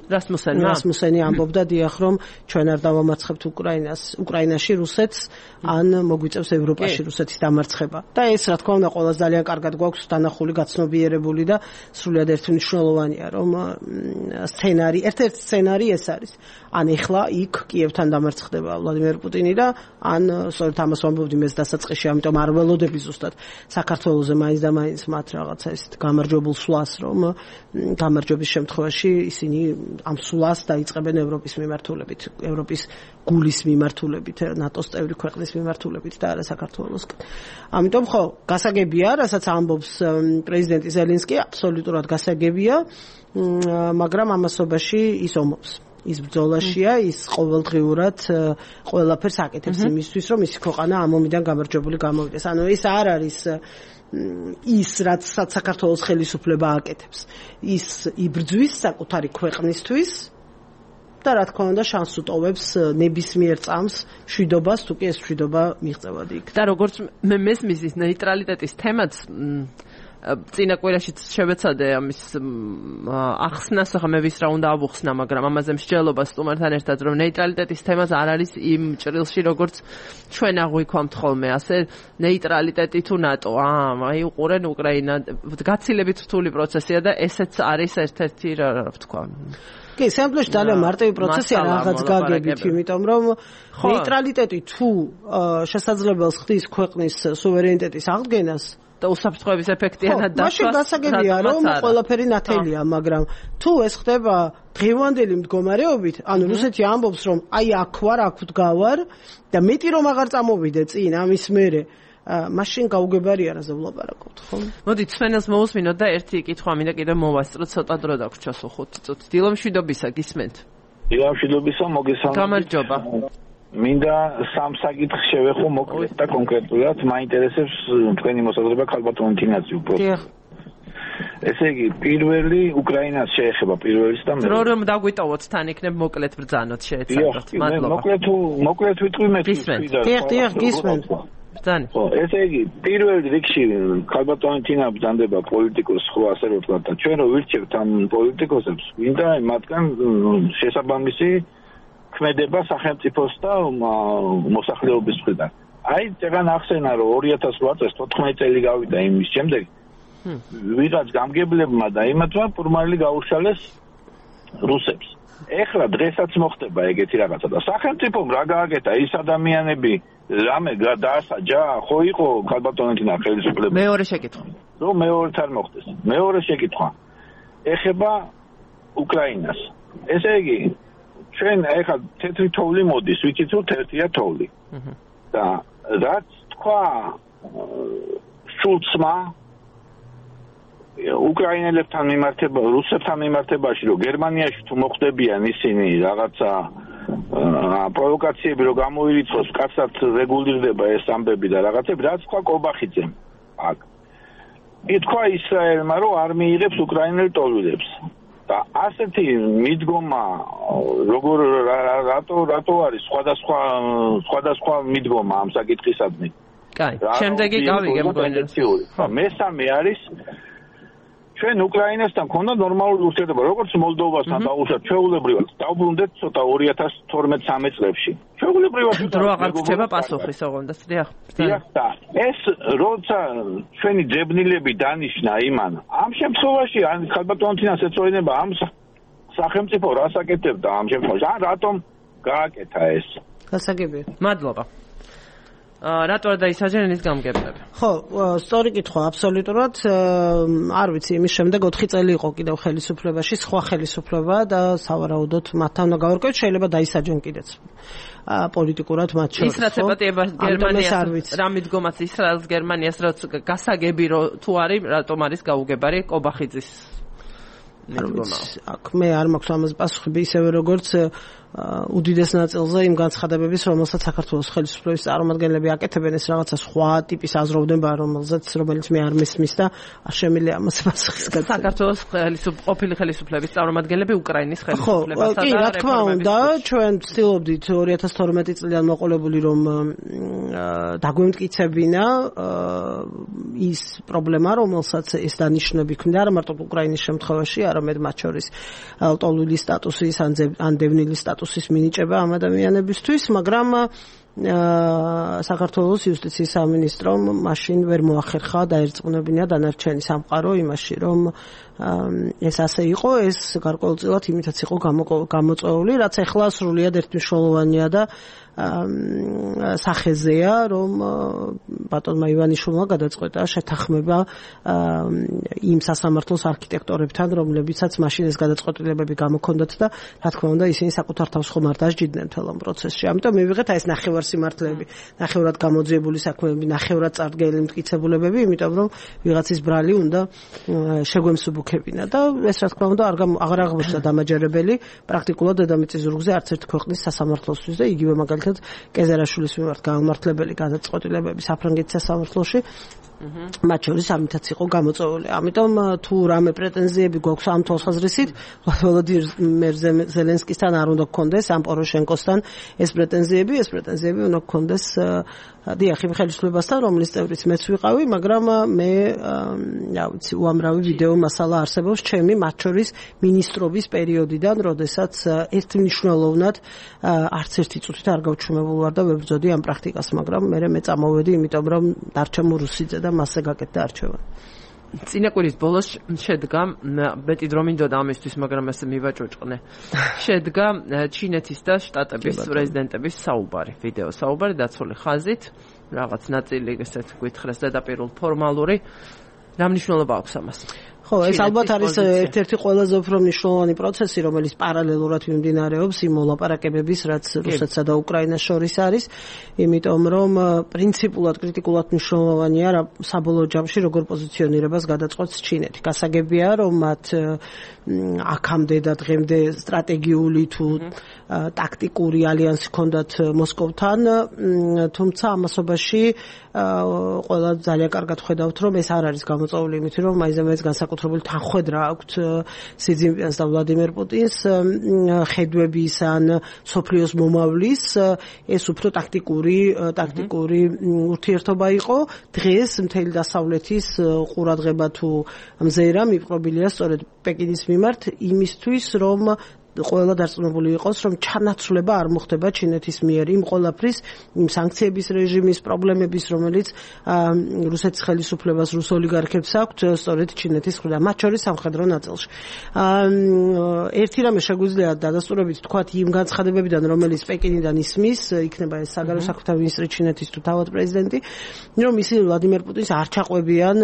რასმუსენი რასმუსენი ამბობდა, დიახ, რომ ჩვენ არ დავამარცხებთ უკრაინას, უკრაინაში რუსეთს, ან მოგვიწევს ევროპაში რუსეთის დამარცხება. და ეს, რა თქმა უნდა, ყველას ძალიან კარგად გვაქვს დანახული, გაცნობიერებული და სრულიად ერთმნიშვნელოვანია, რომ სცენარი, ერთ-ერთი სცენარი ეს არის. ან ეხლა იქ კიევთან დამარცხდება ვლადიმერ პუტინი და ან სწორედ ამას ვამბობდი მეც დასაწყისში, ამიტომ არ ველოდები ზუსტად საქართველოზე მაინც და მაინც მათ რაღაცა ისეთ გამარჯვებულ სვლას, რომ გამარჯვების შემთხვევაში ისინი ამ სვლას დაიწყებენ ევროპის მიმართულებით, ევროპის გულის მიმართულებით, ნატოს წევრი ქვეყნის მიმართულებით და არა საქართველოსკენ. ამიტომ ხო, გასაგებია, რასაც ამბობს პრეზიდენტი ზელენსკი, აბსოლუტურად გასაგებია, მაგრამ ამასობაში ის ომობს. ის ბრძოლაშია, ის ყოველდღიურად ყველაფერს აკეთებს იმისთვის, რომ მისი ქვეყანა ამ ომიდან გამარჯვებული გამოვიდეს. ანუ ეს არ არის ის, რაც საქართველოს ხელისუფლება აკეთებს. ის იბრძვის საკუთარი ქვეყნისთვის და რა თქმა უნდა შანსს უტოვებს ნებისმიერ წამს მშვიდობას, თუ კი ეს მშვიდობა მიღწევადი იქნება. და როგორც მე მესმის ის ნეიტრალიტეტის თემაც წინა კვირაშიც შევეცადე ამის ახსნას, ახლა მე ვის რა უნდა ავუხსნა, მაგრამ ამაზე მსჯელობა სტუმართან ერთად, რომ ნეიტრალიტეტის თემაც არ არის იმ ჭრილში, როგორც ჩვენ აღვიქვამთ ხოლმე, ასე ნეიტრალიტეტი თუ ნატო, აა, აი უყურენ უკრაინა, გაცილებით რთული პროცესია და ესეც არის ერთ-ერთი რა ვთქვა. კი, სამწუხაროდ ძალიან მარტივი პროცესია რაღაც გაგებით, იმიტომ რომ ნეიტრალიტეტი თუ შესაძლებელს ხდის ქვეყნის სუვერენიტეტის აღდგენას და უსაფრთხოების ეფექტიანად დაცვას. მაშინ გასაგებია, რომ ყველაფერი ნათელია, მაგრამ თუ ეს ხდება დღევანდელი მდგომარეობით, ანუ რუსეთი ამბობს, რომ აი აქ ვარ, აქ ვდგავარ და მეტი რომ აღარ წამოვიდე წინ ამის მერე, მაშინ გაუგებარია რაზე ვლაპარაკობთ, ხო? მოდი ცვენელს მოусმინოთ და ერთი კითხვა მინდა კიდე მოვასწროთ, ცოტა დრო დაგვრჩა სულ ხუთი წუთი. დილომშვიდობისა, გისმენთ? დილომშვიდობისა, მოგესალმებით. გამარჯობა. მინდა სამ საკითხს შევეხო მოკლედ და კონკრეტულად, მაინტერესებს თქვენი მოსაზრება ქალბატონ თინაძე უბრალოდ. ესე იგი, პირველი უკრაინას შეეხება პირველის და მეორე. რო რომ დაგვიტოვოთ თან იქნებ მოკლედ ბრძანოთ შეეცადოთ. მადლობა. მოკლედ თუ მოკლედ ვიტყვი მე გისმენთ. დიახ, დიახ, გისმენთ. ბრძანი. ხო, ესე იგი, პირველ რიგში ქალბატონი თინა ბრძანდება პოლიტიკოს ხო ასე რომ ვთქვა და ჩვენ რო ვირჩევთ ამ პოლიტიკოსებს, მინდა მათგან შესაბამისი ქმედება სახელმწიფოს და მოსახლეობის მხრიდან. აი, წეგან ახსენა, რომ ორი ათას ოთხ წელს თოთხმეტი წელი გავიდა იმის შემდეგ. ვიღაც გამგებლებმა და იმათმა ფორმალი გაუშალეს რუსებს. ეხლა დღესაც მოხდება ეგეთი რაღაცა და სახელმწიფომ რა გააკეთა ის ადამიანები რამე დაასაჯა ხო იყო ქალბატონეთინა ხელისუფლება მეორე შეკითხვა რომ მეორედ არ მოხდეს მეორე შეკითხვა ეხება უკრაინას ესე იგი ჩვენ ეხლა თეთრი თოვლი მოდის ვიცით რომ თეთრია თოვლი და რაც თქვა შულცმა უკრაინელებთან მიმართება, რუსებთან მიმართებაში, რომ გერმანიაში თუ მოხდებიან ისინი რაღაცა პროვოკაციები, რომ გამოირიცხოს, კაცად რეგულირდება ეს ამბები და რაღაცები, რაც თქვა კობახიძემ. აქ. ითქვა ისრაელმა, რომ არ მიიღებს უკრაინელ ტოლვილებს. და ასეთი მიდგომა, როგორ რატო რატო არის სხვადასხვა სხვადასხვა მიდგომა ამ საკითხისადმი. კაი, შემდეგი გავიგე მგონი. მესამე არის ჩვენ უკრაინასთან ქონდა ნორმალური ურთიერთობა, როგორც მოლდოვასთან დაუშვათ ჩვეულებრივად. დავბრუნდეთ ცოტა ორი ათას თორმეტ სამი წლებში. ჩვეულებრივად დრო აღარ გრჩება პასუხის ოღონდ, დიახ. დიახ, და ეს როცა ჩვენი ძებნილები დანიშნა იმან, ამ შემთხვევაში ან ქალბატონთინას ეწოდება ამ სახელმწიფო რას აკეთებდა ამ შემთხვევაში? ან რატომ გააკეთა ეს? გასაგებია. მადლობა. რატო არ დაისაჯენ ის გამგებლები? ხო, სწორი კითხვა აბსოლუტურად. არ ვიცი, იმის შემდეგ ოთხი წელი იყო კიდევ ხელისუფლებაში, სხვა ხელისუფლება და სავარაუდოდ მათთან უნდა გავარკვევთ, შეიძლება დაისაჯენ კიდეც. პოლიტიკურად მათ შორის. ის რაც ეპატიება გერმანიას, რა მიდგომაც ისრაელს გერმანიას რაც გასაგები რო თუ არის, რატომ არის გაუგებარი კობახიძის მიდგომა? აქ მე არ მაქვს ამაზე პასუხი, ისევე როგორც უდიდეს ნაწილზე იმ განცხადებების, რომელსაც საქართველოს ხელისუფლების წარმომადგენლები აკეთებენ, ეს რაღაცა სხვა ტიპის აზროვნება, რომელზეც რომელიც მე არ მესმის და არ შემიძლია ამას პასუხის გაცემა. საქართველოს ყოფილი ხელისუფლების წარმომადგენლები უკრაინის ხელისუფლებასა და კი, რა თქმა უნდა, ჩვენ ვცდილობდით ორი ათას თორმეტი წლიდან მოყოლებული რომ დაგვემტკიცებინა ის პრობლემა, რომელსაც ეს დანიშნები ქმნიდა, არა მარტო უკრაინის შემთხვევაში, არამედ მათ შორის ლტოლვილის სტატუსის ან დევნილის სტატუსის ის მინიჭება ამ ადამიანებისთვის, მაგრამ საქართველოს იუსტიციის სამინისტრომ მაშინ ვერ მოახერხა დაერწმუნებინა დანარჩენი სამყარო იმაში, რომ ეს ასე იყო, ეს გარკვეულწილად იმითაც იყო გამოწვეული, რაც ახლა სრულიად ერთმნიშვნელოვანია და სახეზეა, რომ ბატონმა ივანიშვილმა გადაწყვეტა შეთანხმება იმ სასამართლოს არქიტექტორებთან, რომლებიცაც მაშინ ეს გადაწყვეტილებები გამოქონდათ და რა თქმა უნდა ისინი საკუთარ თავს ხომ არ დასჯიდნენ მთელ ამ პროცესში. ამიტომ მივიღეთ აი ეს ნახევარსიმართლეები, ნახევრად გამოძიებული საქმეები, ნახევრად წარდგენილი მტკიცებულებები, იმიტომ რომ ვიღაცის ბრალი უნდა შეგვემსუბუქებინა და ეს რა თქმა უნდა აღარ აღმოჩნდა დამაჯერებელი პრაქტიკულად დედამიწის ზურგზე არც ერთ ქვეყნის სასამართლოსთვის და იგივე მაგალითად კეზერაშვილის მიმართ გამართლებელი გადაწყვეტილებები საფრანგეთის სასამართლოში მათ შორის ამითაც იყო გამოწვეული. ამიტომ თუ რამე პრეტენზიები გვაქვს ამ თვალსაზრისით, ვლადიმერ ზელენსკისთან არ უნდა გქონდეს, ამ პოროშენკოსთან ეს პრეტენზიები, ეს პრეტენზიები უნდა გქონდეს დიახ, იმ ხელისუფლებასთან, რომლის წევრიც მეც ვიყავი, მაგრამ მე რა ვიცი, უამრავი ვიდეო მასალა არსებობს ჩემი მათ შორის მინისტრობის პერიოდიდან, როდესაც ერთმნიშვნელოვნად არც ერთი წუთით არ გავჩუმებულ ვარ და ვებრძოდი ამ პრაქტიკას, მაგრამ მე მე წამოვედი, იმიტომ რომ დარჩა მურუსიძე და მასზე გაკეთდა არჩევანი. წინა კვირის ბოლოს შედგა, მეტი დრო მინდოდა ამისთვის, მაგრამ ესე მივაჭოჭყნე. შედგა ჩინეთის და შტატების პრეზიდენტების საუბარი, ვიდეო საუბარი დაცული ხაზით, რაღაც ნაწილი ესეთ გითხრეს ზედაპირულ ფორმალური. რა მნიშვნელობა აქვს ამას? ხო, ეს ალბათ არის ერთ-ერთი ყველაზე უფრო მნიშვნელოვანი პროცესი, რომელიც პარალელურად მიმდინარეობს იმ მოლაპარაკებების, რაც რუსეთსა და უკრაინას შორის არის, იმიტომ რომ პრინციპულად კრიტიკულად მნიშვნელოვანია საბოლოო ჯამში როგორ პოზიციონირებას გადაწყვეტს ჩინეთი. გასაგებია, რომ მათ აქამდე და დღემდე სტრატეგიული თუ ტაქტიკური ალიანსი ჰქონდათ მოსკოვთან, თუმცა ამასობაში ყველა ძალიან კარგად ხედავთ, რომ ეს არ არის გამოწვეული იმით, რომ მაინც განსაკუთრებული თანხმედრა აქვთ სი ძინპინს და ვლადიმერ პუტინს ხედვების ან სოფლიოს მომავლის, ეს უფრო ტაქტიკური ტაქტიკური ურთიერთობა იყო. დღეს მთელი დასავლეთის ყურადღება თუ მზერა მიპყრობილია სწორედ პეკინის მიმართ იმისთვის, რომ ყველა დარწმუნებული იყოს, რომ ჩანაცვლება არ მოხდება ჩინეთის მიერ იმ ყველაფრის, იმ სანქციების რეჟიმის პრობლემების, რომელიც რუსეთის ხელისუფლებას, რუს ოლიგარქებს აქვთ, სწორედ ჩინეთის მხრიდან, მათ შორის სამხედრო ნაწილში. ერთი რამე შეგვიძლია დადასტურებით თქვათ იმ განცხადებებიდან, რომელიც პეკინიდან ისმის, იქნება ეს საგარეო საქმეთა მინისტრი ჩინეთის თუ თავად პრეზიდენტი, რომ ისინი ვლადიმერ პუტინს არ ჩაყვებიან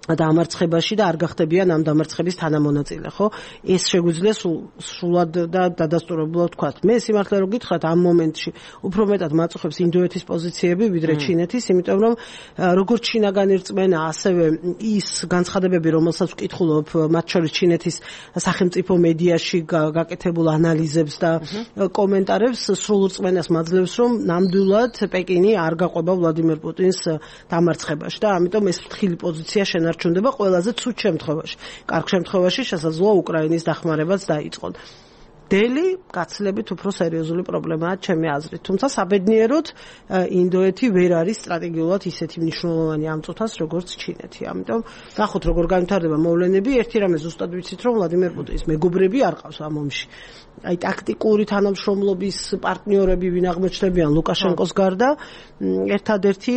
დამარცხებაში და არ გახდებიან ამ დამარცხების თანამონაწილე, ხო? ეს შეგვიძლია სრულად და დადასტურებულად ვთქვათ. მე სიმართლე რომ გითხრათ, ამ მომენტში უფრო მეტად მაწუხებს ინდოეთის პოზიციები ვიდრე ჩინეთის, იმიტომ რომ როგორც ჩინაგან ერწმენა, ასევე ის განცხადებები, რომელსაც ვკითხულობ, მათ შორის ჩინეთის სახელმწიფო მედიაში გაკეთებულ ანალიზებს და კომენტარებს, სრულ რწმენას მაძლევს, რომ ნამდვილად პეკინი არ გაყვება ვლადიმერ პუტინს დამარცხებაში და ამიტომ ეს ფრთხილი პოზიცია შენარჩუნდება ჩუნდება ყველაზე ცუდ შემთხვევაში. კარგ შემთხვევაში შესაძლოა უკრაინის დახმარებაც დაიწყონ. დელი გაცილებით უფრო სერიოზული პრობლემაა ჩემი აზრით. თუმცა საბედნიეროდ ინდოეთი ვერ არის სტრატეგიულად ისეთი მნიშვნელოვანი ამ წუთას, როგორც ჩინეთი. ამიტომ ნახოთ როგორ განვითარდება მოვლენები. ერთი რამე ზუსტად ვიცით, რომ ვლადიმერ პუტინის მეგობრები არ ყავს ამ ომში. აი ტაქტიკური თანამშრომლობის პარტნიორები ვინ აღმოჩნდებიან ლუკაშენკოს გარდა, ერთადერთი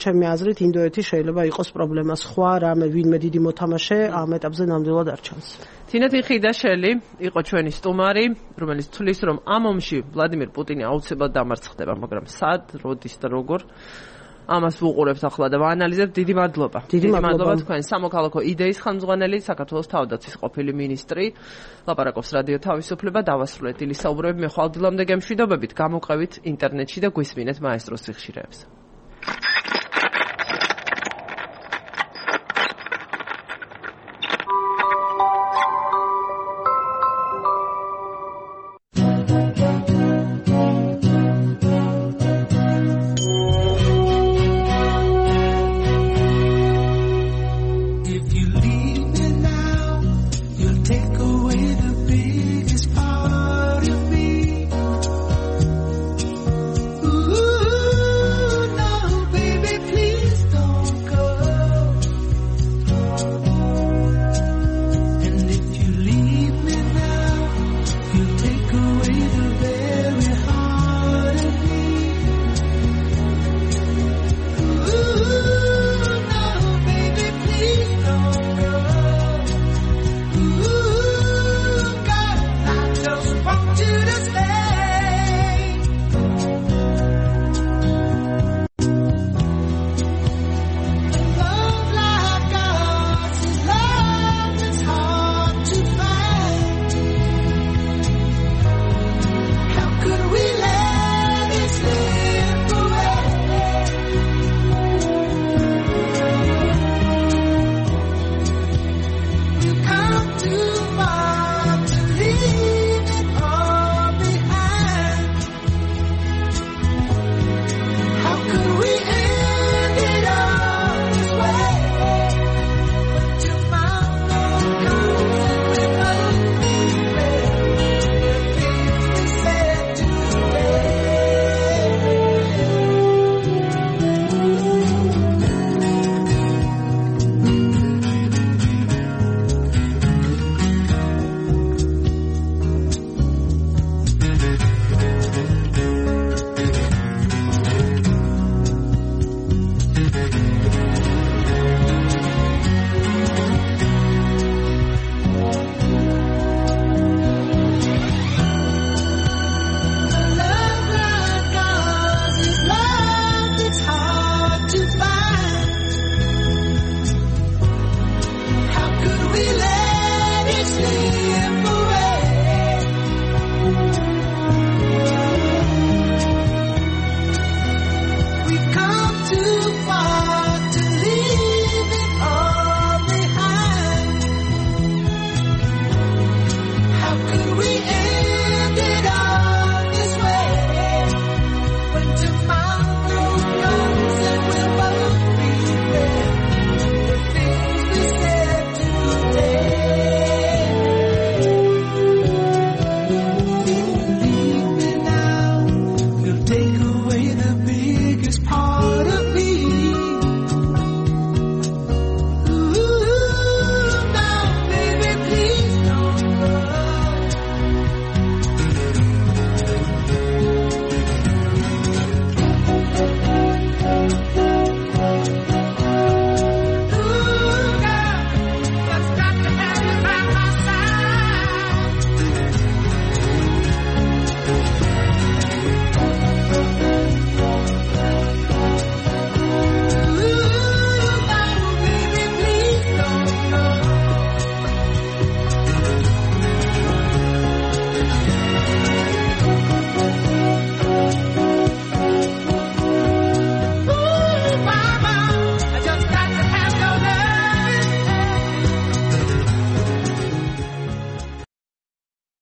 ჩემი აზრით ინდოეთი შეიძლება იყოს პრობლემა. სხვა რამე ვინმე დიდი მოთამაშე ამ ეტაპზე ნამდვილად არ ჩანს. თინეთი ხიდაშელი იყო ჩვენი სტუმარი, რომელიც თulis რომ ამ ომში ვლადიმერ პუტინი აუცილებლად დამარცხდება, მაგრამ სად, როდის და როგორ ამას ვუყურებთ ახლა და ვაანალიზებთ. დიდი მადლობა. დიდი მადლობა თქვენ სამოქალაქო იდეის ხელმძღვანელი, საქართველოს თავდაცვის ყოფილი მინისტრი. ლაპარაკობს რადიო თავისუფლება, დავასრულეთ დილის საუბრები. მე ხვალ დილამდე გემშვიდობებით, გამოყევით ინტერნეტში და გვისმინეთ მაესტროს სიხშირეებს.